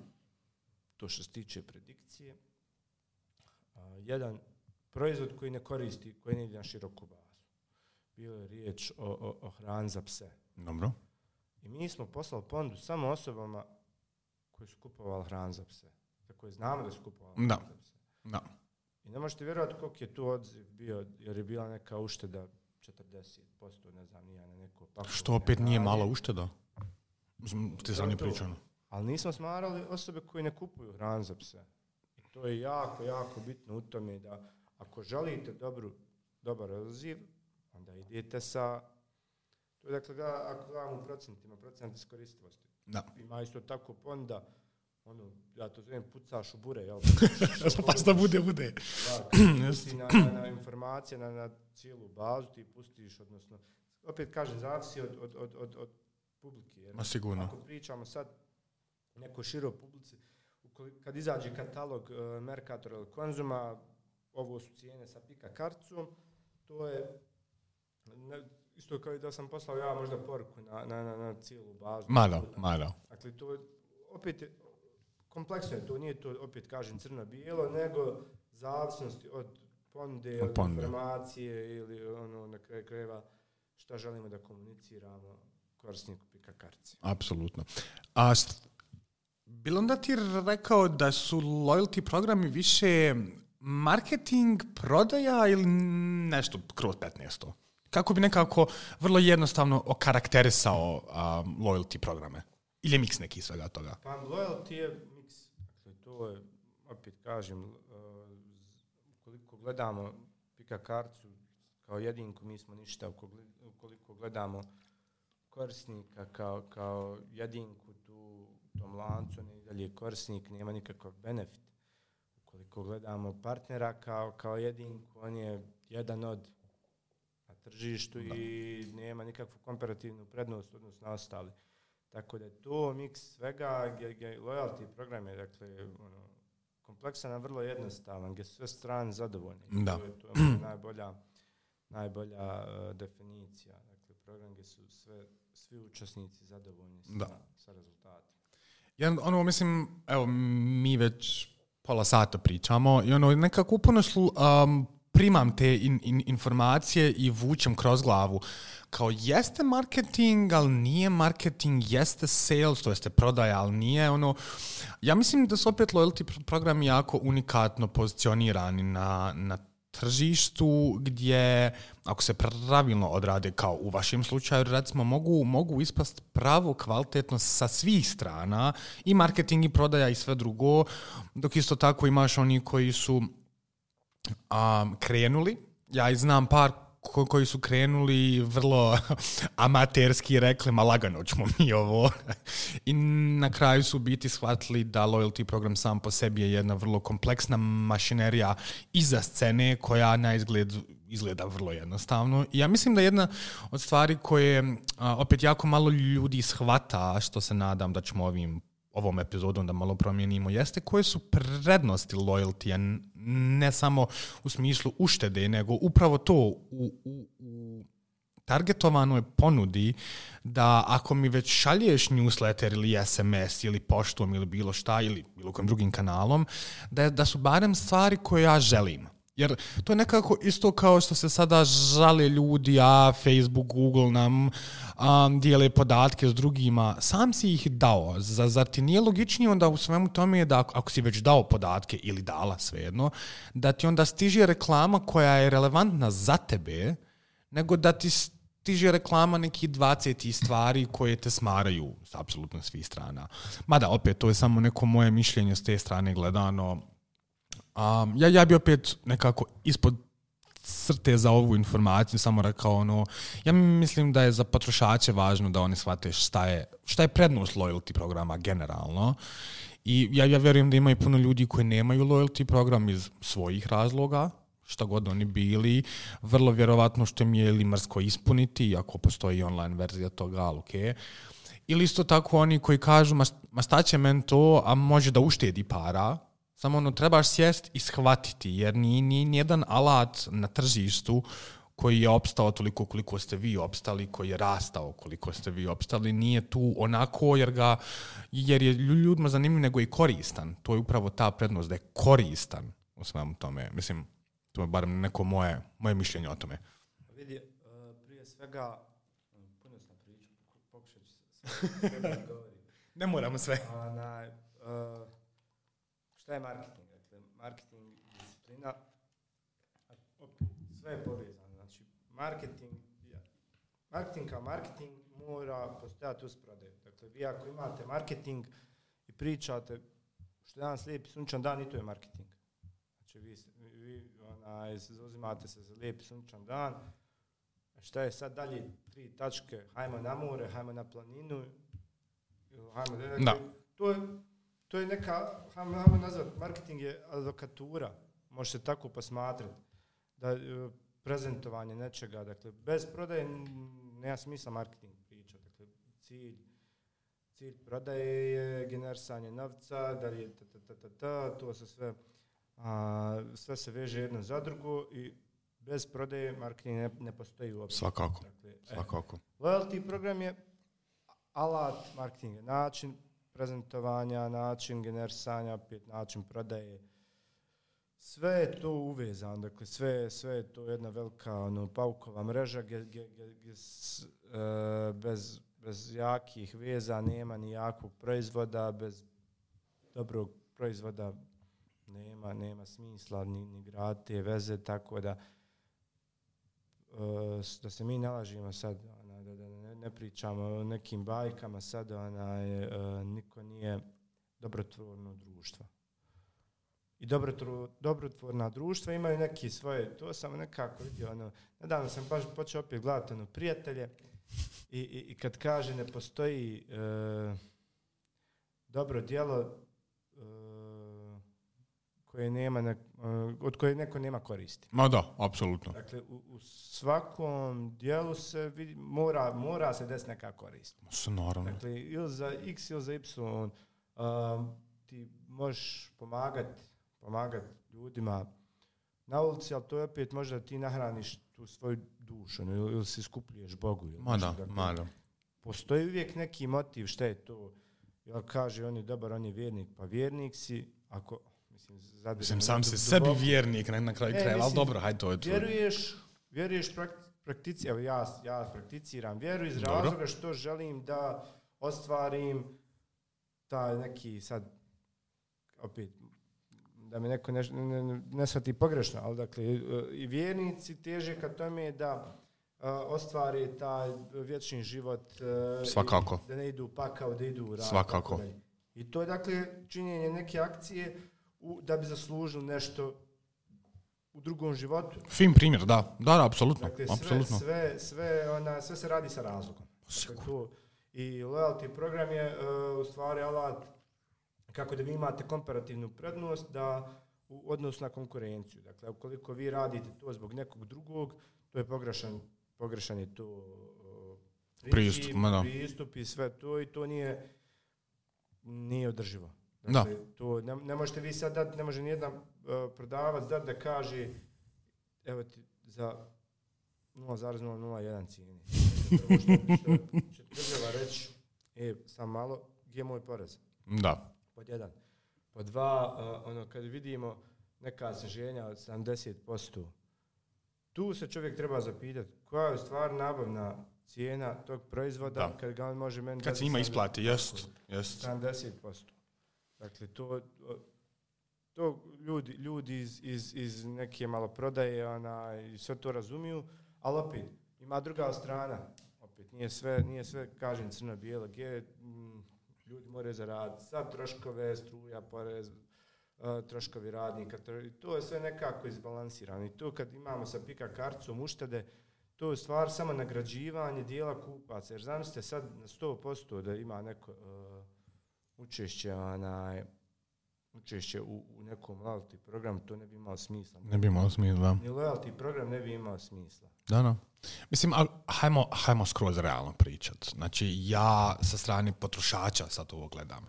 to što se tiče predikcije, a, jedan proizvod koji ne koristi, koji ne ide na široku bazu. Bilo je riječ o, o, o hrani za pse. Dobro. I mi smo poslali ponudu samo osobama koji su kupovali hranu za pse. Za koje znamo da su kupovali hranu za pse. Da. I ne možete vjerovati koliko je tu odziv bio, jer je bila neka ušteda četrdeset posto, ne znam, nije na neko pakovanje. Što opet nije mala ušteda? Ste sami pričali. Ali nismo smarali osobe koje ne kupuju hranu za pse. I to je jako, jako bitno u tome da ako želite dobru, dobar odziv, onda idete sa... To je dakle, da, ako gledamo u procentima, procent iskoristivosti. Da. Ima isto tako ponda, ono, ja to zovem pucaš u bure, jel? Pa da bude, bude. Da, pusti na, na, na informacije, na, na cijelu bazu, ti pustiš, odnosno, opet kažem, zavisi od, od, od, od, od publike. Jer Ma sigurno. Ako pričamo sad neko širo publici, kad izađe katalog uh, Mercatora ili Konzuma, ovo su cijene sa pika karticom, to je ne, isto kao i da sam poslao ja možda poruku na, na, na, na cijelu bazu. Malo, malo. Dakle, to opet je, kompleksno je to, nije to opet kažem crno-bijelo, nego zavisnosti od ponude, od Ponde. informacije ili ono na kraju krajeva šta želimo da komuniciramo korisniku pika kartice. Apsolutno. A st- bilo onda ti rekao da su loyalty programi više marketing, prodaja ili nešto kroz petnaesto? Kako bi nekako vrlo jednostavno okarakterisao um, loyalty programe? Ili je miks neki svega toga? Pa loyalty je miks. Dakle, to je, opet kažem, uh, ukoliko gledamo pika karticu kao jedinku, mi smo ništa. Ukoliko gledamo korisnika kao, kao jedinku tu u tom lancu, ne i dalje korisnik, nema nikakav benefit. Ukoliko gledamo partnera kao, kao jedinku, on je jedan od na tržištu da. I nema nikakvu komparativnu prednost odnosno na ostali. Tako da je to miks svega, gdje, gdje loyalty program je dakle, ono, kompleksan, a vrlo jednostavan, gdje su sve strane zadovoljne. Da. To je, to je najbolja, najbolja uh, definicija. Dakle, program gdje su sve, svi učesnici zadovoljni sa, sa rezultatom. Ja, ono, mislim, evo, mi već pola sata pričamo i ono, nekako uporno slu, um, primam te in, in, informacije i vučem kroz glavu. Kao jeste marketing, ali nije marketing, jeste sales, to jeste prodaja, ali nije ono. Ja mislim da su opet loyalty programi jako unikatno pozicionirani na, na tržištu gdje, ako se pravilno odrade kao u vašem slučaju, recimo mogu, mogu ispast pravo kvalitetno sa svih strana, i marketing i prodaja i sve drugo, dok isto tako imaš oni koji su um, krenuli. Ja i znam par ko- koji su krenuli vrlo amaterski rekli, ma lagano ćemo mi ovo. I na kraju su biti shvatili da loyalty program sam po sebi je jedna vrlo kompleksna mašinerija iza scene koja na izgled izgleda vrlo jednostavno. I ja mislim da jedna od stvari koje a, opet jako malo ljudi shvata, što se nadam da ćemo ovim ovom epizodom da malo promijenimo, jeste koje su prednosti loyalty, ne samo u smislu uštede, nego upravo to u, u, u targetovanoj ponudi, da ako mi već šalješ newsletter ili es em es ili poštom ili bilo šta ili bilo kojim drugim kanalom, da, da su barem stvari koje ja želim. Jer to je nekako isto kao što se sada žale ljudi, a Facebook, Google nam um, dijele podatke s drugima. Sam si ih dao. Zar ti nije logičnije onda u svemu tome je da ako, ako si već dao podatke ili dala svejedno, da ti onda stiže reklama koja je relevantna za tebe, nego da ti stiže reklama nekih dvadeset stvari koje te smaraju s apsolutno svih strana. Mada opet, to je samo neko moje mišljenje s te strane gledano. Um, ja, ja bi opet nekako ispod crte za ovu informaciju samo rekao ono, ja mislim da je za potrošače važno da oni shvate šta je, šta je prednost loyalty programa generalno. I ja, ja vjerujem da ima i puno ljudi koji nemaju loyalty program iz svojih razloga, šta god oni bili, vrlo vjerovatno što mi je ili mrsko ispuniti, ako postoji online verzija toga, ali okej. Okay. Ili isto tako oni koji kažu, ma, ma šta će men to, a može da uštedi para, samo ono, trebaš sjest i shvatiti, jer ni, ni, nijedan alat na tržištu koji je opstao toliko koliko ste vi opstali, koji je rastao koliko ste vi opstali, nije tu onako jer, ga, jer je ljudima zanimljiv, nego i koristan. To je upravo ta prednost, da je koristan u svemu tome. Mislim, to je barem neko moje, moje mišljenje o tome. Vidi, prije svega, puno sam pričao, pokušat ću sve da govorim. Ne moramo sve. Ona, uh, šta je marketing? Dakle, marketing disciplina, sve je povezano. Znači, marketing, marketing kao marketing mora postojati uz prodaju. Dakle, vi ako imate marketing i pričate što je danas lijepi sunčan dan, i to je marketing. Znači, vi, vi onaj, zauzimate se za lijepi sunčan dan, šta je sad dalje tri tačke, hajmo na more, hajmo na planinu, hajmo, dakle, da. To je, to je neka, hajmo, hajmo nazvat, marketing je advokatura, može se tako posmatrati, da prezentovanje nečega, dakle, bez prodaje nema smisla marketing pričati, dakle, cilj, cilj prodaje je generisanje novca, da li je ta, ta, ta, ta, ta, to se sve, a, sve se veže jedno za drugo i bez prodaje marketing ne, ne postoji uopće. Svakako, dakle, svakako. E, loyalty program je alat marketinga, način prezentovanja, način generisanja, opet način prodaje. Sve je to uvezano, dakle sve, sve je to jedna velika ono, paukova mreža gdje, gdje, gdje, gdje s, e, bez, bez jakih veza nema ni jakog proizvoda, bez dobrog proizvoda nema, nema smisla ni, ni grad te veze, tako da da se mi nalažimo sad, ona, da, da ne, ne pričamo o nekim bajkama, sad ona je, niko nije dobrotvorno društvo. I dobrotvorna društva imaju neki svoje, to sam nekako vidio, ono, nedavno sam baš počeo opet gledati ono, prijatelje i, i, i kad kaže ne postoji e, dobro djelo e, koje nema ne, od koje neko nema koristi. Ma da, apsolutno. Dakle, u, u svakom dijelu se vidi, mora, mora se desiti neka korist. Se naravno. Dakle, ili za X ili za Y um, ti možeš pomagati pomagati ljudima na ulici, ali to je opet možda ti nahraniš tu svoju dušu ili, ili si skupljuješ Bogu. Ili ma da, dakle, ma da. Postoji uvijek neki motiv šta je to. Jel kaže on je dobar, on je vjernik, pa vjernik si, ako Mislim, mislim sam se sebi vjernik na, na kraju krajeva, ali dobro, hajde to je to. Vjeruješ, vjeruješ praktici, evo ja, ja prakticiram vjeru iz dobro. razloga što želim da ostvarim taj neki sad, opet, da me neko ne, ne, ne, ne shvati pogrešno, ali dakle, i vjernici teže ka tome da uh, ostvari taj vječni život, uh, svakako. Da ne idu u pakao, da idu u rad. Svakako. I to je dakle činjenje neke akcije u, da bi zaslužili nešto u drugom životu. Fin primjer, da. Da, da, apsolutno. Dakle, sve, apsolutno. sve, sve, ona, sve se radi sa razlogom. Dakle, to, i loyalty program je uh, u stvari alat kako da vi imate komparativnu prednost da u odnosu na konkurenciju. Dakle, ukoliko vi radite to zbog nekog drugog, to je pogrešan, pogrešan je to uh, princip, pristup, pristup i sve to i to nije, nije održivo. Dakle, da. To ne, ne možete vi sad dati, ne može nijedan uh, prodavac dati da kaže evo ti za nula zarez nula nula jedan cijeni. Prvo što, što će država reći, e, sam malo, gdje je moj porez? Da. Pod jedan. Pod dva, uh, ono, kad vidimo neka sniženja od sedamdeset posto, tu se čovjek treba zapitati koja je u stvari nabavna cijena tog proizvoda da. Kad ga on može meni... Kad se njima isplati, jest, jest. sedamdeset posto. Dakle, to, to ljudi, ljudi iz, iz, iz neke maloprodaje ona, i sve to razumiju, ali opet, ima druga strana. Opet, nije sve, nije sve kažem, crno-bijelo, gdje mm, ljudi moraju zaraditi sad troškove, struja, porez, uh, troškovi radnika, tro, to je sve nekako izbalansirano. I to kad imamo sa pika karticom uštede, to je stvar samo nagrađivanje dijela kupaca. Jer zamislite sad na sto posto da ima neko... Uh, učešće onaj, učešće u, u nekom loyalty programu, to ne bi imalo smisla. Ne bi imalo smisla. Ni loyalty program ne bi imao smisla. Da, da. Mislim, ali hajmo, hajmo skroz realno pričat. Znači, ja sa strane potrošača sad ovo gledam.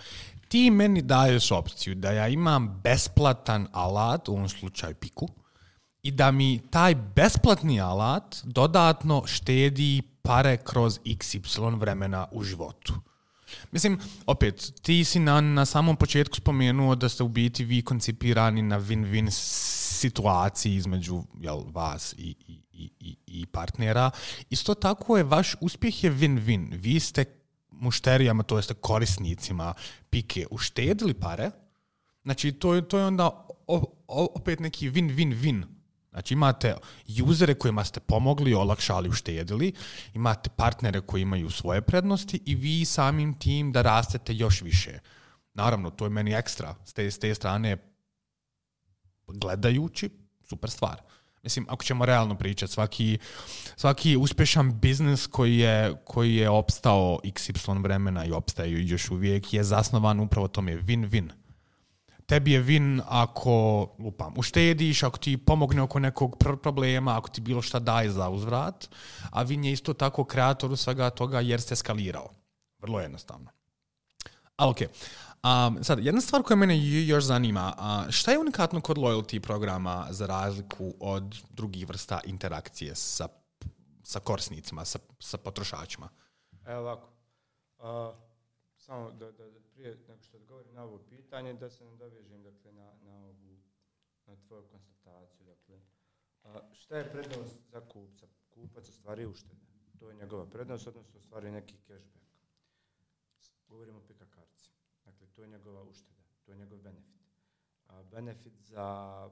Ti meni daješ opciju da ja imam besplatan alat, u ovom slučaju Piku, i da mi taj besplatni alat dodatno štedi pare kroz iks ipsilon vremena u životu. Mislim, opet, ti si na, na samom početku spomenuo da ste u biti vi koncipirani na win-win situaciji između jel, vas i, i, i, i partnera. Isto tako je, vaš uspjeh je win-win. Vi ste mušterijama, to jeste korisnicima Pike, uštedili pare. Znači, to je, to je onda opet neki win-win-win. Znači, imate usere kojima ste pomogli, olakšali, uštedili, imate partnere koji imaju svoje prednosti i vi samim tim da rastete još više. Naravno, to je meni ekstra. S te, s te strane, gledajući, super stvar. Mislim, ako ćemo realno pričati, svaki, svaki uspješan biznis koji je, koji je opstao iks ipsilon vremena i opstaje još uvijek je zasnovan upravo tome win-win. Tebi je win ako, lupam, uštediš, ako ti pomogne oko nekog problema, ako ti bilo šta daje za uzvrat, a win je isto tako kreatoru svega toga jer ste skalirao. Vrlo jednostavno. Ali okej. Okay. Um, sad, jedna stvar koja mene još zanima, uh, šta je unikatno kod loyalty programa za razliku od drugih vrsta interakcije sa, sa korisnicima, sa, sa potrošačima? Evo ovako. Uh, samo da, da, da prije nego što odgovorim na ovo pitanje, da se nadovežem dakle, na, na, ovu, na tvoju konstataciju. Dakle, uh, šta je prednost za kupca? Kupac ostvari uštede. To je njegova prednost, odnosno ostvari neki cashback. Govorimo o Pika kartici. Dakle, to je njegova ušteda, to je njegov benefit. A benefit za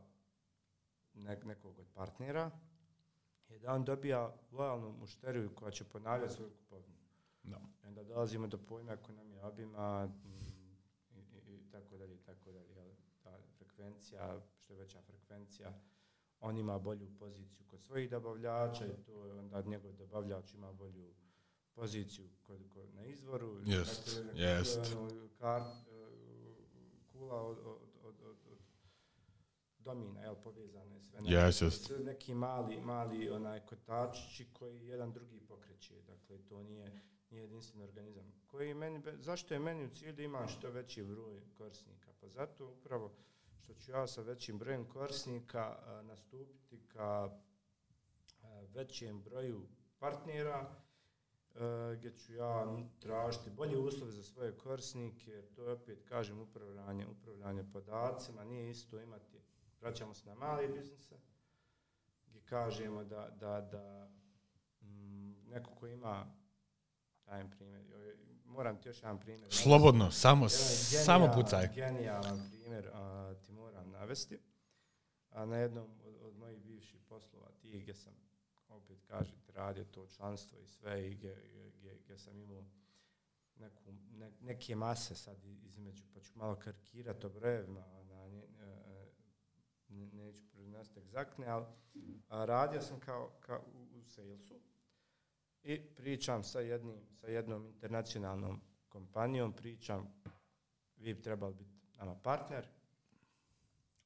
nek- nekog od partnera je da on dobija lojalnu mušteriju koja će ponavljati svoju kupovinu. No. I onda dolazimo do pojma ekonomije obima i, i, i tako dalje, i tako dalje. Ta frekvencija, što je veća frekvencija, on ima bolju poziciju kod svojih dobavljača i to je onda njegov dobavljač ima bolju poziciju kod, kod, na izvoru. Jest, dakle, jest. Kar, kula od, od, od, od, od domina, jel, povezane sve. Yes, yes. Neki mali, mali onaj kotačići koji jedan drugi pokreće. Dakle, to nije, nije jedinstven organizam. Koji meni, zašto je meni u cilju da imam što veći broj korisnika? Pa zato upravo što ću ja sa većim brojem korisnika a, nastupiti ka a, većem broju partnera, Uh, gdje ću ja tražiti bolje uslove za svoje korisnike, to je opet, kažem, upravljanje, upravljanje podacima, nije isto imati, vraćamo se na male biznise, gdje kažemo da, da, da m, neko ko ima, dajem primjer, moram ti još jedan primjer. Slobodno, navesti. samo, genijal, samo pucaj. Genijalan primjer a, ti moram navesti. A na jednom od, od mojih bivših poslova, ti gdje sam, opet kažete, radio to članstvo i sve i gdje, gdje, gdje sam imao neku, ne, neke mase sad između, pa ću malo karikirati o brojevima, ne, ne, neću prenositi egzaktne, ali a, radio sam kao, kao u, u salesu i pričam sa, jednim, sa jednom internacionalnom kompanijom, pričam, vi bi trebali biti nama partner,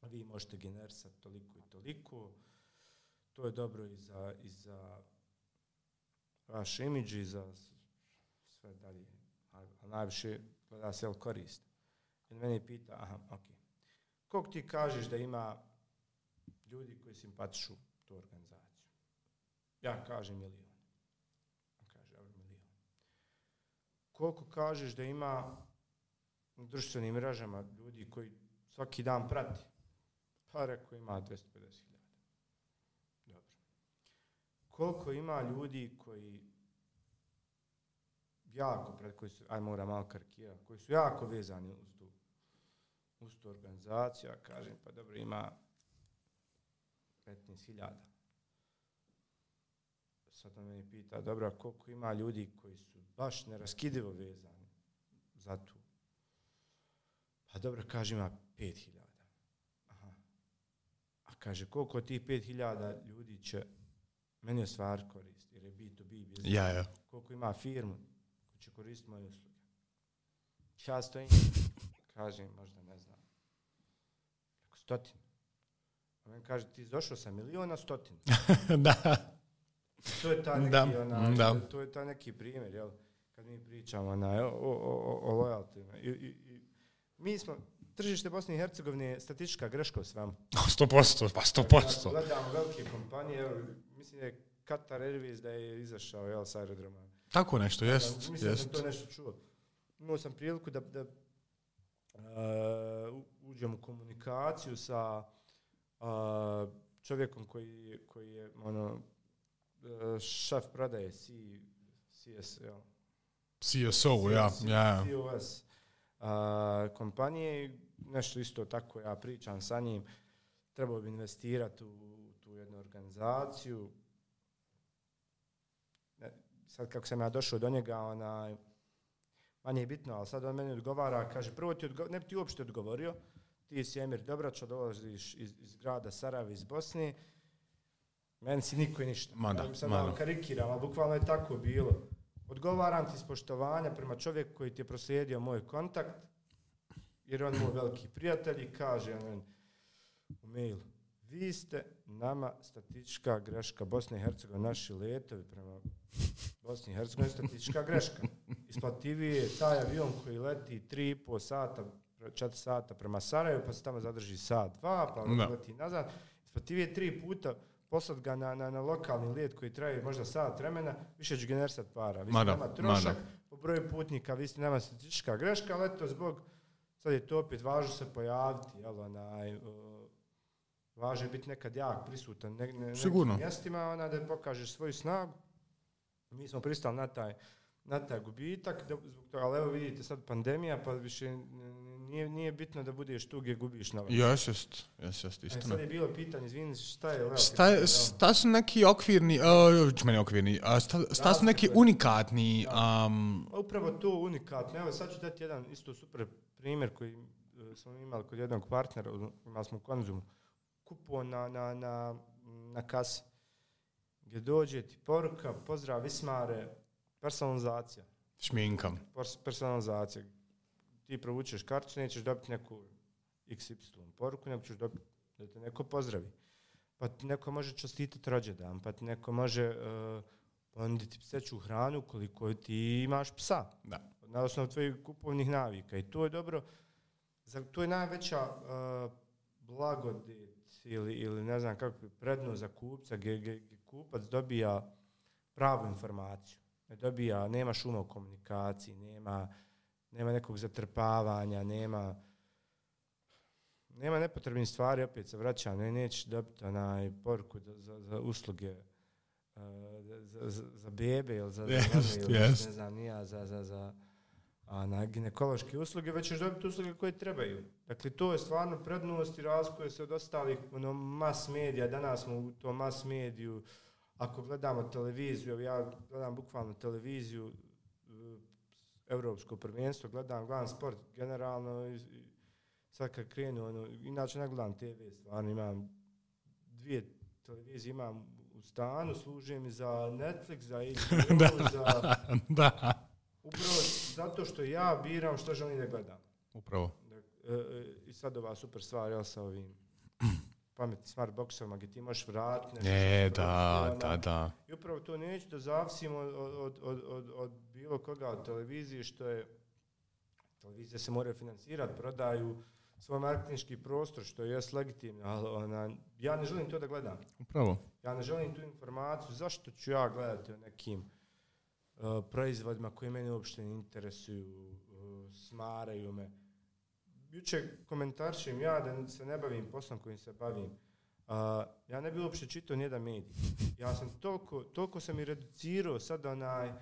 vi možete generisati toliko i toliko, to je dobro i za, i za vaš imidž i za sve dalje. A, a najviše gleda se korist. I meni pita, aha, ok. Koliko ti kažeš da ima ljudi koji simpatišu tu organizaciju? Ja kažem milijon. On kaže, evo milijon. Koliko kažeš da ima u društvenim mrežama ljudi koji svaki dan prati? Pa rekao, ima dvjesto pedeset hiljada. Koliko ima ljudi koji jako, pred koji su, aj moram malo karikirati, koji su jako vezani uz tu, uz tu organizaciju, ja kažem, pa dobro, ima petnaest hiljada. Sad on me pita, dobro, koliko ima ljudi koji su baš neraskidivo vezani za tu? Pa dobro, kaže, ima pet hiljada. Aha. A kaže, koliko tih pet hiljada ljudi će meni je stvar koristi, jer je bi to bi biznis. Ja, ja. Koliko ima firmu koji će koristiti moje usluge. Ja stojim, kažem, možda ne znam, Stotinu. On kaže, ti došao sa miliona stotinu. Da. To je ta neki, da. Ona, da. to je ta neki primjer, jel? Kad mi pričamo ona, o, o, o, o lojaltima. I, i, i, mi smo, tržište Bosne i Hercegovine je statistička greška u svemu. sto posto, pa sto posto. Gledamo velike kompanije, evo, mislim da je Qatar Airways da je izašao, jel, s aerodroma. Tako nešto, jest. Ja, mislim jest. da sam to nešto čuo. Imao sam priliku da, da uh, uđem u komunikaciju sa uh, čovjekom koji, koji je ono, uh, šef prodaje C, CS, jel? C S O, ja. ja. C O S uh, kompanije, nešto isto tako, ja pričam sa njim, trebao bi investirati u tu jednu organizaciju. Sad kako sam ja došao do njega, onaj, manje je bitno, ali sad on meni odgovara, kaže, prvo ti odgo- ne bi ti uopšte odgovorio, ti si Emir Dobrača, dolaziš iz, iz grada Sarajeva, iz Bosne, meni si niko i ništa. Mada, ja sad mada. malo karikiram, ali bukvalno je tako bilo. Odgovaram ti iz poštovanja prema čovjeku koji ti je proslijedio moj kontakt, jer on je moj veliki prijatelj i kaže on u mailu, vi ste nama statistička greška Bosne i Hercegovine, naši letovi prema Bosni i Hercegovini, statistička greška. Isplativiji je taj avion koji leti tri i po sata, četiri sata prema Sarajevu, pa se tamo zadrži sat, dva, pa no. leti nazad. Isplativiji je tri puta poslat ga na, na, na lokalni let koji traje možda sat vremena, više će generisati para. Vi ste nama trošak, po broju putnika, vi ste nama statistička greška, ali eto zbog, sad je to opet važno se pojaviti, jel, onaj, uh, važno je biti nekad jak prisutan ne, ne, nekim mjestima, ona, da pokažeš svoju snagu. Mi smo pristali na taj, na taj gubitak, da, zbog toga, ali evo vidite sad pandemija, pa više nije, nije bitno da budeš tu gdje gubiš novac. Jes, jest, jes, jest, istina. Sad je bilo pitanje, izvini, šta je... Evo, šta, je, šta su neki okvirni, uh, meni okvirni, uh, šta, šta su neki unikatni... Um... Upravo to unikatno, evo sad ću dati jedan isto super primjer koji uh, smo imali kod jednog partnera, imali smo Konzumu, kupon na, na, na, na kasi, gdje dođe ti poruka, pozdrav Vismare, personalizacija. Šminka. Personalizacija. Ti provučeš kartu, nećeš dobiti neku iks ipsilon poruku, nego ćeš dobiti da te neko pozdravi. Pa ti neko može čestitati rođendan, pa ti neko može uh, ponuditi pseću hranu koliko ti imaš psa. Da. Na osnovu tvojih kupovnih navika. I to je dobro. To je najveća uh, blagodet ili, ili ne znam kako prednost za kupca, gdje, gdje, gdje kupac dobija pravu informaciju. Ne dobija, nema šuma u komunikaciji, nema, nema nekog zatrpavanja, nema, nema nepotrebnih stvari, opet se vraća, ne, nećeš dobiti onaj poruku za, za usluge uh, za, za, za bebe ili za, yes, za ili, yes. ne znam, nija, za, za, za a na ginekološke usluge, već ćeš dobiti usluge koje trebaju. Dakle, to je stvarno prednost i razlikuje se od ostalih ono, mas medija. Danas smo u tom mas mediju, ako gledamo televiziju, ja gledam bukvalno televiziju, Europsko prvenstvo, gledam, gledam sport generalno i, i sad kad krenu, ono, inače ne gledam te ve, stvarno imam dvije televizije, imam u stanu, služe mi za Netflix, za H B O, za... da. Upravo zato što ja biram što želim da gledam. Upravo. Da, e, I sad ova super stvar, ja sa ovim pametnim smart boxovima gdje ti možeš vratiti. E, da, da, da. I upravo to neću da zavisimo od, od, od, od, od bilo koga od televizije, što je, televizije se moraju financirati, prodaju svoj marketinški prostor, što je legitimno, ali ona, ja ne želim to da gledam. Upravo. Ja ne želim tu informaciju, zašto ću ja gledati o nekim Uh, proizvodima koji mene uopšte ne interesuju, uh, smaraju me. Juče komentarčim ja da se ne bavim poslom kojim se bavim. Uh, ja ne bi uopšte čitao nijedan medij. Ja sam toliko, toliko sam i reducirao sad onaj, uh,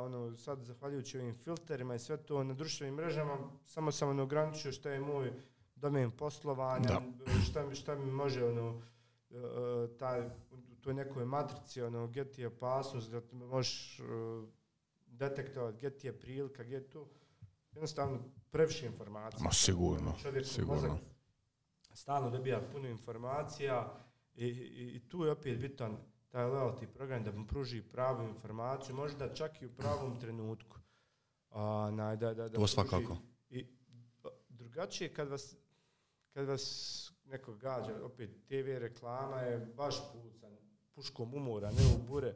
ono, sad zahvaljujući ovim filterima i sve to na društvenim mrežama, samo sam ono ograničio šta je moj domen poslovanja, šta mi, šta mi može ono, uh, taj u toj nekoj matrici, ono, gdje ti je opasnost, da možeš uh, detektovati gdje ti je prilika, gdje je to. Jednostavno, previše informacija. Ma sigurno, čovjek sigurno. Stalno dobija puno informacija i, i, i tu je opet bitan taj loyalty program da mu pruži pravu informaciju, možda čak i u pravom trenutku. A, na, da, da, da to svakako. I drugačije kad vas, kad vas neko gađa, opet te ve reklama je baš pucan, puškom umora, ne u bure,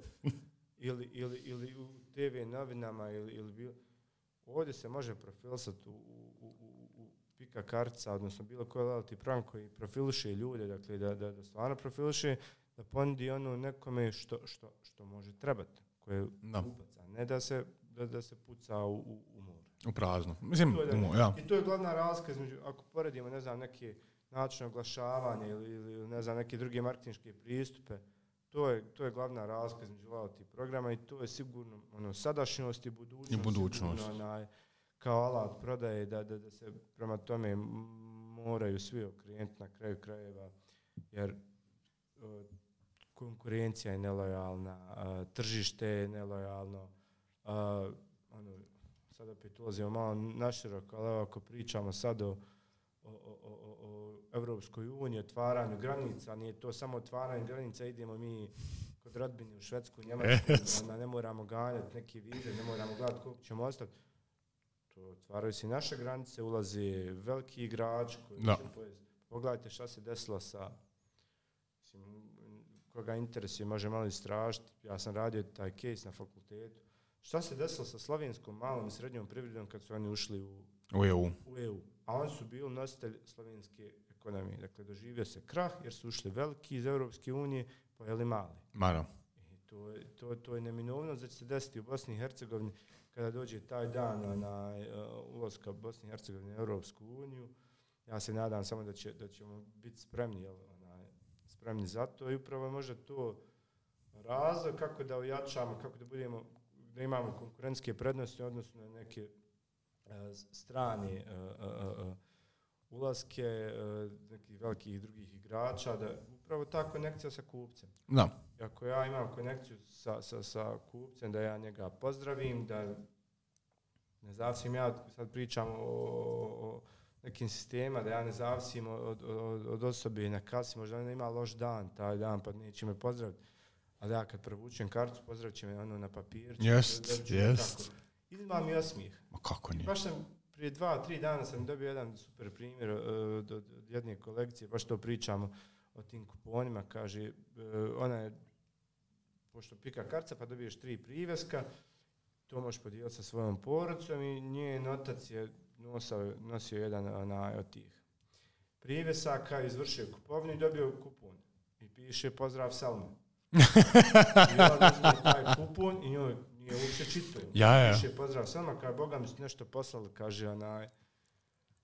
ili, ili, ili u te ve novinama, ili, ili bilo. Ovdje se može profilisati u, u, u, u Pika kartica, odnosno bilo koji loyalty program koji profiliše ljude, dakle da, da, da stvarno profiliše, da ponudi ono nekome što, što, što može trebati, koje no. upaca, ne da se, da, da se puca u, u, u more. U prazno. Mislim, to je, umo, ja. I to je glavna razlika između, ako poredimo, ne znam, neke načine oglašavanja ili, ili ne znam, neke druge marketinške pristupe, to je, to je glavna razlika između loyalty programa i to je sigurno ono, sadašnjost i budućnost. I budućnost. Sigurno, onaj, kao alat prodaje, da, da, da se prema tome moraju svi okrenuti na kraju krajeva, jer o, konkurencija je nelojalna, a, tržište je nelojalno, a, ono, sad opet ulazimo malo naširoko, ali ako pričamo sad o, o, o, o, o Evropskoj uniji, otvaranju granica, nije to samo otvaranje granica, idemo mi kod rodbine u Švedsku, Njemačku, yes. ne moramo ganjati neke vize, ne moramo gledati koliko ćemo ostati. To otvaraju se naše granice, ulazi veliki igrač koji no. će pojesti. Pogledajte šta se desilo sa, mislim, koga interesuje, može malo istražiti. Ja sam radio taj case na fakultetu. Šta se desilo sa slovenskom malom i srednjom privredom kad su oni ušli u, u, E U. u E U? A oni su bili nositelj slovenske ekonomije. Dakle, doživio se krah jer su ušli veliki iz Europske unije, pojeli mali. Maro. I to, je, to, to je neminovno da će se desiti u Bosni i Hercegovini kada dođe taj dan na uh, ulazka Bosne i Hercegovine u Europsku uniju. Ja se nadam samo da, će, da ćemo biti spremni, jel, onaj, spremni za to i upravo možda to razlog kako da ojačamo, kako da budemo, da imamo konkurentske prednosti odnosno na neke uh, strane uh, uh, uh, ulaske uh, nekih velikih drugih igrača, da upravo ta konekcija sa kupcem. Da. Ako ja imam konekciju sa, sa, sa kupcem, da ja njega pozdravim, da ne zavisim, ja sad pričam o, o nekim sistema, da ja ne zavisim od, od, od osobe na kasi, možda ona ima loš dan taj dan, pa neće me pozdraviti. A da ja kad provučem kartu, pozdravit će me ono na papirču. Jest, jest. Izma mi osmijeh. Ma kako nije? Baš sam prije dva, tri dana sam dobio jedan super primjer od, od jedne kolekcije, baš to pričamo o tim kuponima, kaže, ona je, pošto Pika kartica, pa dobiješ tri priveska, to možeš podijeliti sa svojom porodicom i njen otac je nosio, nosio jedan onaj od tih privesaka, izvršio kupovinu i dobio kupon. I piše pozdrav Selma. I ona uzme taj kupon i njoj nije uopće čitao. Ja, ja. Piše pozdrav Selma, kada Boga mi se nešto poslali, kaže onaj,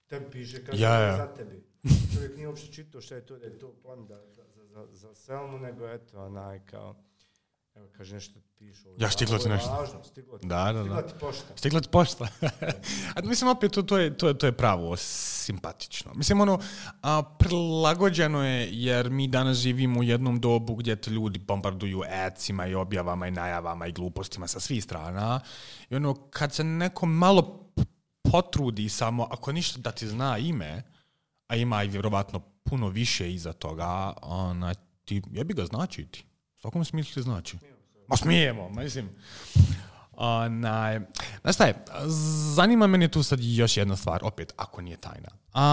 tebi piše, kaže ja, ja. za tebi. Čovjek nije uopće čitao šta je to, da je to plan da, za, za, za Selmu, nego eto, onaj, kao, evo, kaže, nešto pišu. Ja, stiglo ti nešto. Važno, stiglo ti, da, da, stiglo da. ti pošta. Stiglo ti pošta. A mislim, opet, to, to, je, to, je, to je pravo simpatično. Mislim, ono, a, prilagođeno je, jer mi danas živimo u jednom dobu gdje te ljudi bombarduju adsima i objavama i najavama i glupostima sa svih strana. I ono, kad se neko malo potrudi samo, ako ništa da ti zna ime, a ima i vjerovatno puno više iza toga, ona, ti, jebi ga znači ti. U svakom smislu ti znači. Ma smijemo, mislim. Onaj, znaš šta je, zanima mene tu sad još jedna stvar, opet, ako nije tajna.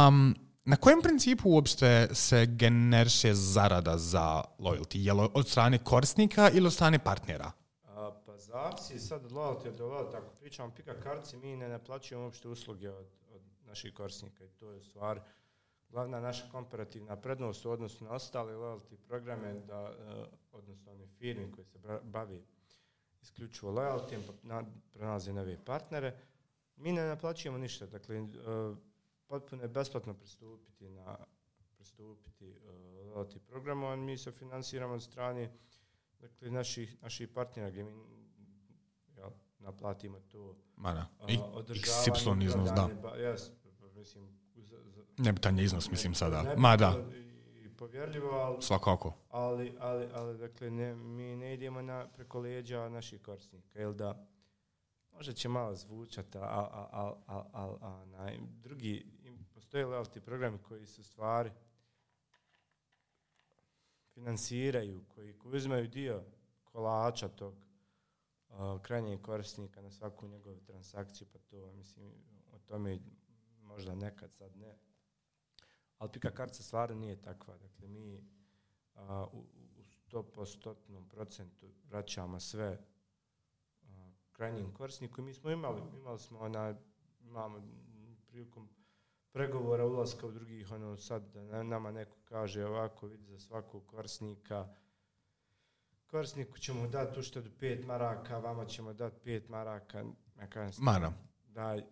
Um, na kojem principu uopšte se generiše zarada za loyalty? Je li od strane korisnika ili od strane partnera? A, pa zavisi sad od loyalty do loyalty. Ako pričamo Pika kartici, mi ne naplaćujemo uopšte usluge od, od naših korisnika i to je stvar. Glavna naša komparativna prednost u odnosu na ostale loyalty programe, da, odnosno one firme koje se bavi isključivo loyalty, pa pronalaze nove partnere, mi ne naplaćujemo ništa. Dakle, potpuno je besplatno pristupiti na pristupiti loyalty programu, a mi se finansiramo od strane dakle, naših, naših partnera gdje mi ja, naplatimo to Mana, održavanje. Iznos, da. Yes, mislim, Nebitan je iznos, mislim sada. Nebitan, ma da. I povjerljivo, ali... Svakako. Ali, ali, ali dakle, ne, mi ne idemo na, preko leđa naših korisnika, jel da možda će malo zvučati, a, a, a, a, a, a na, drugi, postoje loyalty programi koji su stvari finansiraju, koji, koji uzmaju dio kolača tog uh, krajnjeg korisnika na svaku njegovu transakciju, pa to, mislim, o tome možda nekad, sad ne. ali pika kartica stvarno nije takva. Dakle, mi a, u, u sto postotnom procentu vraćamo sve a, krajnjim korisniku. Mi smo imali, imali smo ona, imamo prilikom pregovora ulaska u drugih, ono sad da nama neko kaže ovako, vidi za svakog korisnika, korisniku ćemo dati uštedu pet maraka, vama ćemo dati pet maraka. Ja kažem, Mara. Daj,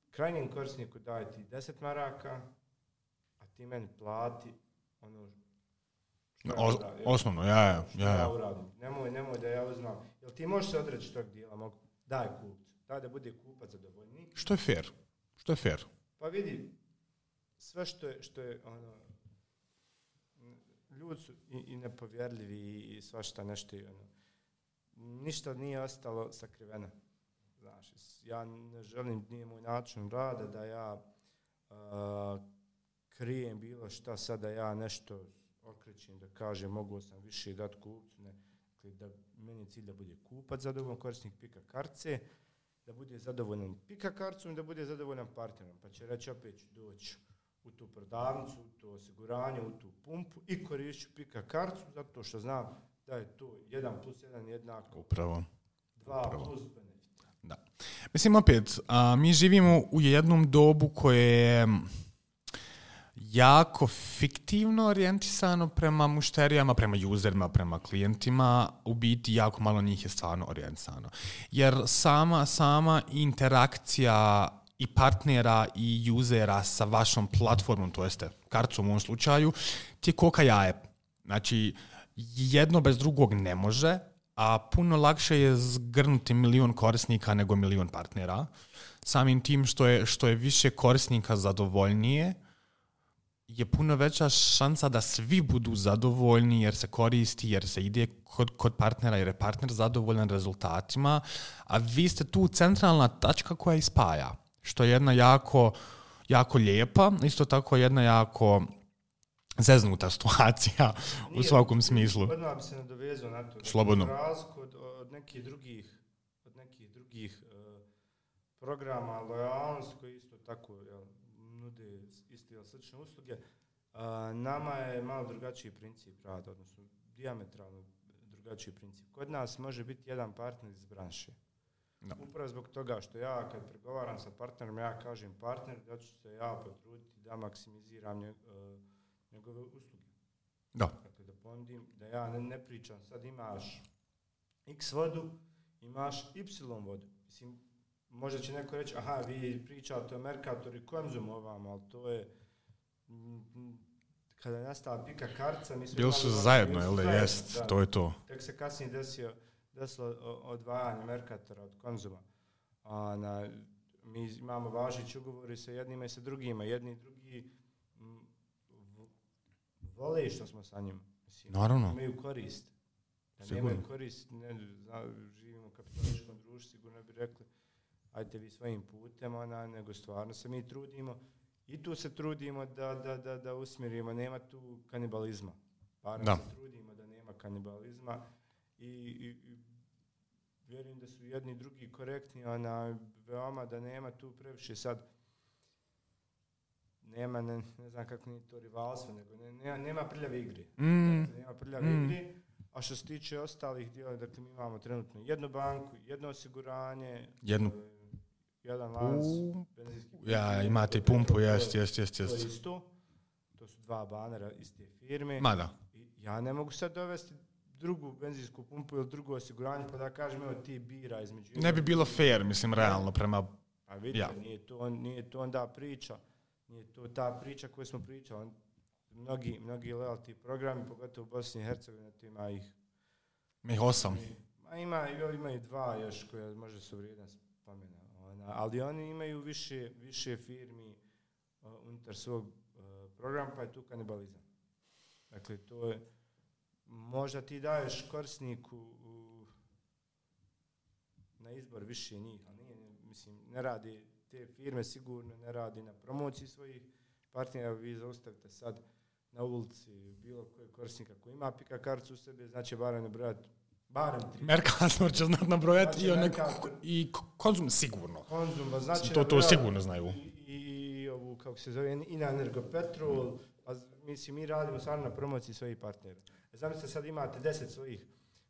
krajnjem korisniku daj ti deset maraka, a ti meni plati ono što o, ja uradim. Osnovno, ja, ja. Što ja, ja uradim. Nemoj, nemoj da ja uzmam. Jel ti možeš se odreći tog dijela? Mogu? Daj kupcu. Daj da bude kupac zadovoljniji. Što je fair? Što je fair? Pa vidi, sve što je, što je ono, ljudi su i, i nepovjerljivi i svašta nešto. Ono, ništa nije ostalo sakriveno. Znaš, ja ne želim, nije moj način rada da ja uh, krijem bilo šta, sad da ja nešto okrećem, da kažem mogu sam više dati kupcu. Ne. Dakle, da meni je cilj da bude kupac zadovoljan, korisnik pika kartice, da bude zadovoljan pika karticom i da bude zadovoljan partnerom. Pa će reći opet ću doći u tu prodavnicu, u to osiguranje, u tu pumpu i korišću pika karticu zato što znam da je to jedan plus jedan jednako Upravo. dva Upravo. plus benefit. Da. Mislim, opet, a, mi živimo u jednom dobu koje je jako fiktivno orijentisano prema mušterijama, prema userima, prema klijentima, u biti jako malo njih je stvarno orijentisano. Jer sama, sama interakcija i partnera i usera sa vašom platformom, to jeste karticom u ovom slučaju, ti je koka jaje. Znači, jedno bez drugog ne može, a puno lakše je zgrnuti milion korisnika nego milion partnera. Samim tim što je, što je više korisnika zadovoljnije, je puno veća šansa da svi budu zadovoljni jer se koristi, jer se ide kod, kod partnera, jer je partner zadovoljan rezultatima, a vi ste tu centralna tačka koja ispaja, što je jedna jako, jako lijepa, isto tako jedna jako zeznuta situacija u Nije, svakom smislu. Odmah bi se nadovezao na to. Slobodno. Za razliku od, od nekih drugih, od nekih drugih uh, programa lojalnosti koji isto tako jel, nude iste ili slične usluge, uh, nama je malo drugačiji princip rada, odnosno dijametralno drugačiji princip. Kod nas može biti jedan partner iz branše. No. Upravo zbog toga što ja kad pregovaram sa partnerom, ja kažem partner da ću se ja potruditi da maksimiziram nje, uh, njegove usluge. Da. Dakle, da ponudim, da ja ne, ne pričam, sad imaš X vodu, imaš Y vodu. Mislim, možda će neko reći, aha, vi pričate o Mercatoru i Konzumu ovamo, ali to je, m, kada je nastala pika kartica, mi smo... Bili su zajedno, jel da jest, da, to je to. Tek se kasnije desio, desilo odvajanje Mercatora od Konzuma. A, na, mi imamo važeći ugovori sa jednima i sa drugima, jedni i drugi m, vole što smo sa njima. Mislim, naravno. Imaju korist. Da sigurno. nemaju korist, ne, zna, živimo u kapitalističkom društvu, sigurno bi rekli, ajte vi svojim putem, ona, nego stvarno se mi trudimo. I tu se trudimo da, da, da, da usmjerimo, nema tu kanibalizma. Barem da. se trudimo da nema kanibalizma i, i, i vjerujem da su jedni drugi korektni, ona, veoma da nema tu previše sad, nema, ne, ne znam kako nije to rivalstvo, nego ne, nema, nema prljave igre. Mm. Dakle, nema prljave mm. igre, a što se tiče ostalih dijela, dakle mi imamo trenutno jednu banku, jedno osiguranje, jednu jedan lanac, ja, imate i pumpu, jest, jest, jest, jest. To je isto, to su dva banera iste firme. Ma da. I ja ne mogu sad dovesti drugu benzinsku pumpu ili drugo osiguranje, pa da kažem, evo ti bira između... Ne bi bilo fair, mislim, realno, prema... A vidite, ja. nije, to, nije to onda priča, nije to ta priča koju smo pričali. Mnogi, mnogi loyalty programi, pogotovo u Bosni i Hercegovini, ima ih... Mi ih osam. Ma ima, ima i dva još koje možda su vrijedna spomena. Ona, ali oni imaju više, više firmi uh, unutar svog uh, programa, pa je tu kanibalizam. Dakle, to je... Možda ti daješ korisniku uh, na izbor više njih, ali nije, mislim, ne radi te firme sigurno, ne radi na promociji svojih partnera. Vi zaustavite sad na ulici bilo kojeg korisnika koji ima pika karticu u sebi, znači barem nabrojati barem tri. Mercator će znat nabrojati znači, i, i Konzum sigurno. Konzum, znači to, to sigurno znaju. I, i ovu, kako se zove, i na Energopetrol, a mislim, mi radimo stvarno na promociji svojih partnera. Zamislite, sad imate deset svojih,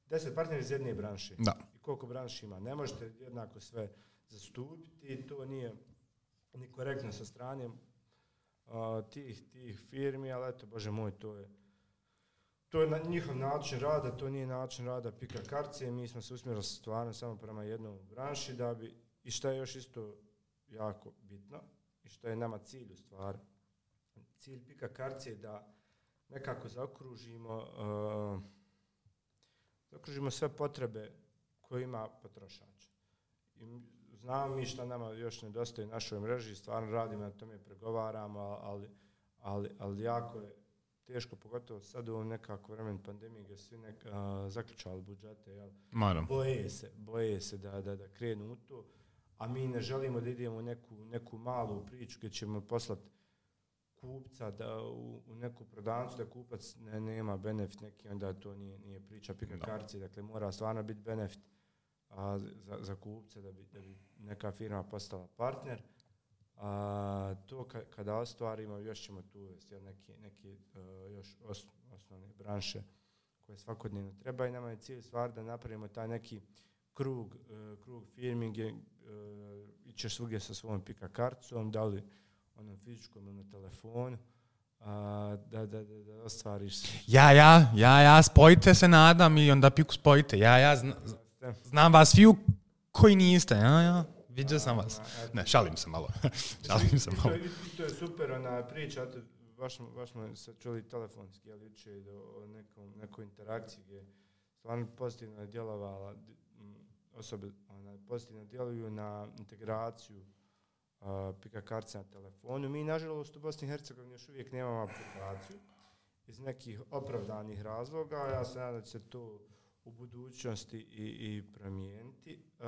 deset partnera iz jedne branše. Da. I koliko branši ima. Ne možete jednako sve zastupiti, to nije ni korektno sa strane uh, tih, tih firmi, ali eto, Bože moj, to je to je na, njihov način rada, to nije način rada Pika Karcije, mi smo se usmjerili stvarno samo prema jednom branši da bi, i što je još isto jako bitno, i što je nama cilj u stvari, cilj Pika Karcije da nekako zaokružimo, uh, zaokružimo sve potrebe koje ima potrošač. I znamo mi što nama još nedostaje u našoj mreži, stvarno radimo na tome, pregovaramo, ali, ali, ali jako je teško, pogotovo sad u ovom nekako vremen pandemije gdje svi nek, a, zaključali budžete, jel? Boje se, boje se da, da, da krenu u to, a mi ne želimo da idemo u neku, neku malu priču gdje ćemo poslati kupca da u, u neku prodavnicu da kupac ne, nema benefit neki, onda to nije, nije priča Pika Karcije, dakle mora stvarno biti benefit a, za, za kupca da bi, da bi neka firma postala partner. A, to ka, kada ostvarimo, još ćemo tu uvesti neke, neke uh, još os, osnovne branše koje svakodnevno treba i nama je cilj stvar da napravimo taj neki krug, uh, krug firmi gdje uh, ićeš svugdje sa svojom Pika karticom, da li onom fizičkom ili na telefonu, uh, da, da, da, da ostvariš. Ja, ja, ja, ja, spojite se, nadam, i onda Piku spojite. Ja, ja, zna, znam vas sviju koji niste, ja, ja. Vidio sam vas. Ne, šalim se malo. šalim se malo. I to, i to je super, ona priča, baš, baš smo se čuli telefonski, ali uče i o nekom, nekoj interakciji gdje stvarno pozitivno je djelovala, osobe ona, pozitivno djeluju na integraciju uh, Pika kartice na telefonu. Mi, nažalost, u Bosni i Hercegovini još uvijek nemamo aplikaciju iz nekih opravdanih razloga. Ja se nadam da će se to u budućnosti i, i promijeniti, uh,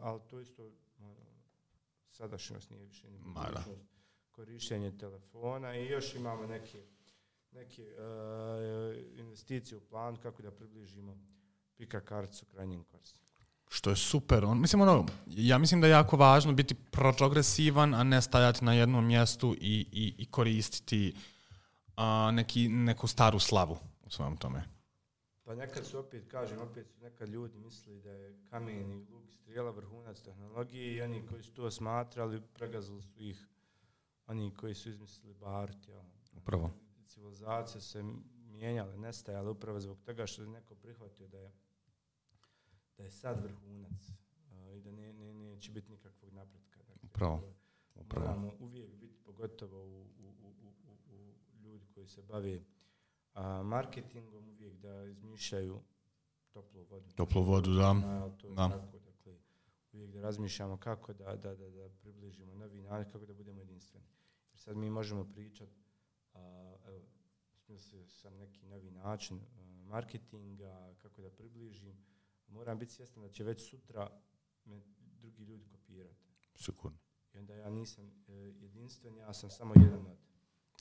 ali to isto sadašnjost nije više ni budućnost, korištenje telefona i još imamo neke, neke uh, investicije u plan kako da približimo Pika karticu krajnjim korisnicima. Što je super. On, mislim, ono, ja mislim da je jako važno biti progresivan, a ne stajati na jednom mjestu i, i, i koristiti uh, neki, neku staru slavu u svojom tome. Pa nekad su opet, kažem, opet su nekad ljudi mislili da je kamen i luk i strijela vrhunac tehnologije i oni koji su to smatrali, pregazili su ih oni koji su izmislili Bart. Ja. Upravo. Civilizacije se mijenjale, nestajale upravo zbog toga što je neko prihvatio da je, da je sad vrhunac uh, i da ne, ne, neće biti nikakvog napretka. Dakle, upravo. Upravo. Moramo uvijek biti, pogotovo u, u, u, u, u ljudi koji se bave a marketingom, uvijek da izmišljaju toplu vodu. Toplu vodu, da. Na, to da. Tako, dakle, uvijek da razmišljamo kako da, da, da, da približimo novi način, kako da budemo jedinstveni. Jer sad mi možemo pričati, evo, smislio sam neki novi način a, marketinga, kako da približim. Moram biti svjestan da će već sutra me drugi ljudi kopirati. Sigurno. I onda ja nisam e, jedinstven, ja sam samo jedan od.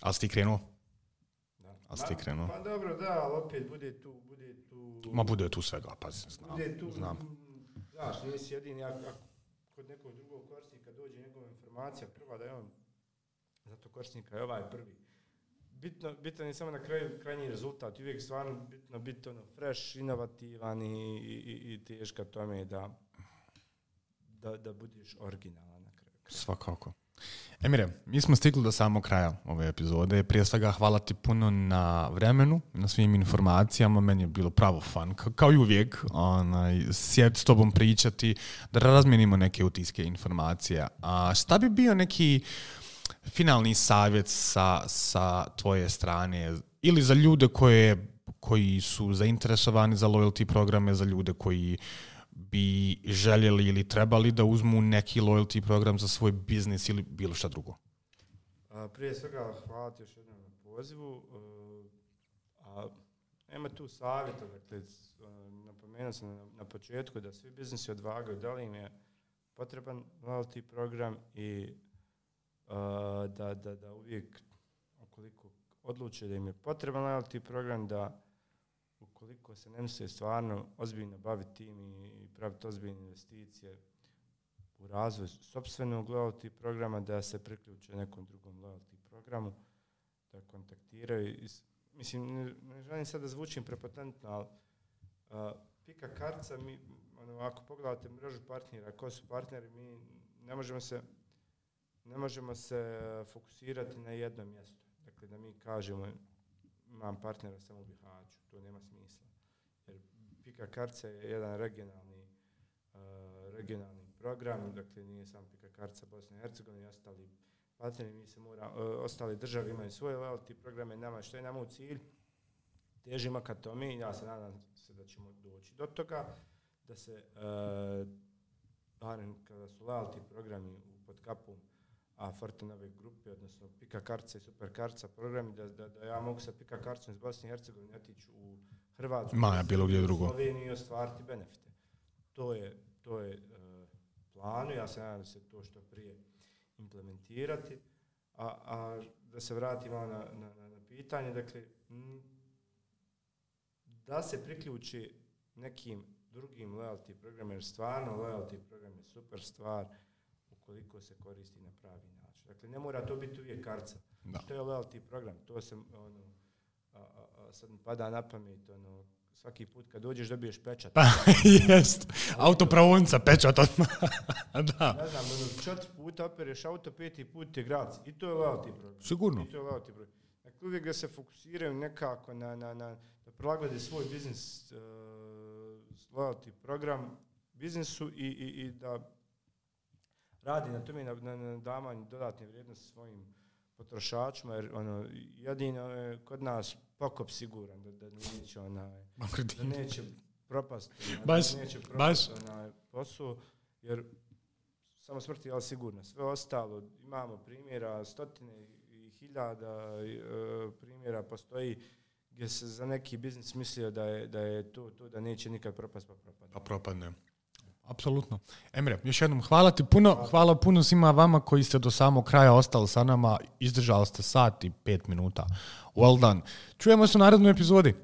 Ali si ti krenuo? Ali ste krenuo. Pa dobro, da, ali opet bude tu, bude tu... Ma bude tu svega, pa znam. Bude tu, znam. Znaš, nisi jedini, ako kod nekog drugog korisnika dođe njegova informacija prva da je on, zato korisnika je ovaj prvi. Bitno, bitno je samo na kraju krajnji rezultat, uvijek stvarno bitno biti ono fresh, inovativan i, i, i teška tome da, da, da budeš originalan na kraju. Svakako. Emire, mi smo stigli do samog kraja ove epizode. Prije svega hvala ti puno na vremenu, na svim informacijama. Meni je bilo pravo fun, kao i uvijek, onaj, sjeti s tobom pričati, da razmijenimo neke utiske informacije. A šta bi bio neki finalni savjet sa, sa tvoje strane ili za ljude koje, koji su zainteresovani za loyalty programe, za ljude koji bi željeli ili trebali da uzmu neki loyalty program za svoj biznis ili bilo šta drugo? A, prije svega hvala ti još jednom na pozivu. A, nema tu savjeta, dakle, napomenuo sam na, na početku da svi biznisi odvagaju da li im je potreban loyalty program i a, da, da, da uvijek, ukoliko odluče da im je potreban loyalty program, da ukoliko se ne misle stvarno ozbiljno baviti tim i praviti ozbiljne investicije, u razvoj sopstvenog loyalty programa, da se priključe nekom drugom loyalty programu, da kontaktiraju. Mislim, ne, ne želim sad da zvučim prepotentno, ali uh, Pika kartica, mi, ono, ako pogledate mrežu partnera, ko su partneri, mi ne možemo se, ne možemo se fokusirati na jedno mjesto. Dakle, da mi kažemo, imam partnera samo u Bihaću, to nema smisla. Jer Pika kartica je jedan regionalni, uh, regionalni program, dakle nije samo Pika kartica Bosne i Hercegovine i ostali partneri, mi se mora, uh, ostali države imaju svoje loyalty programe, nama što je nama u cilj, težimo ka tome, ja se nadam se da ćemo doći do toga, da se, uh, barem kada su loyalty programi pod kapom a Fortenove grupe, odnosno Pika kartica i Super kartica programi, da, da, da ja mogu sa Pika karticom iz Bosne i Hercegovine otići u Hrvatsku, Maja, bilo gdje drugo. Sloveniju i ostvariti benefite. To je, to je uh, plan, ja se nadam da se to što prije implementirati, a, a da se vratimo na, na, na, na pitanje, dakle, m, da se priključi nekim drugim loyalty programima, jer stvarno loyalty program je super stvar ukoliko se koristi na pravi način. Dakle, ne mora to biti uvijek kartica. Da. Što je loyalty program? To se, ono, a, a, a sad mi pada na pamet, ono, svaki put kad dođeš dobiješ pečat. Pa, jest. Autopravonca, pečat odmah. Da. Ne znam, ono, četiri puta opereš auto, peti put je grac. I to je loyalty program. Sigurno. I to je loyalty program. Dakle, uvijek da se fokusiraju nekako na, na, na da prilagode svoj biznis, uh, loyalty program biznisu i, i, i da radi na tome, na, na, na davanju dodatne vrijednosti svojim potrošačima, jer ono, jedino je kod nas pokop siguran, da, da neće onaj, da neće propast, baš, da neće propast onaj posao, jer samo smrt je ali sigurno. Sve ostalo, imamo primjera, stotine i hiljada uh, primjera postoji gdje se za neki biznis mislio da je, da je to, to da neće nikad propast, pa propadne. Pa propadne. Apsolutno. Emre, još jednom hvala ti puno, hvala. hvala puno svima vama koji ste do samog kraja ostali sa nama, izdržali ste sat i pet minuta. Well done. Čujemo se u narednoj epizodi.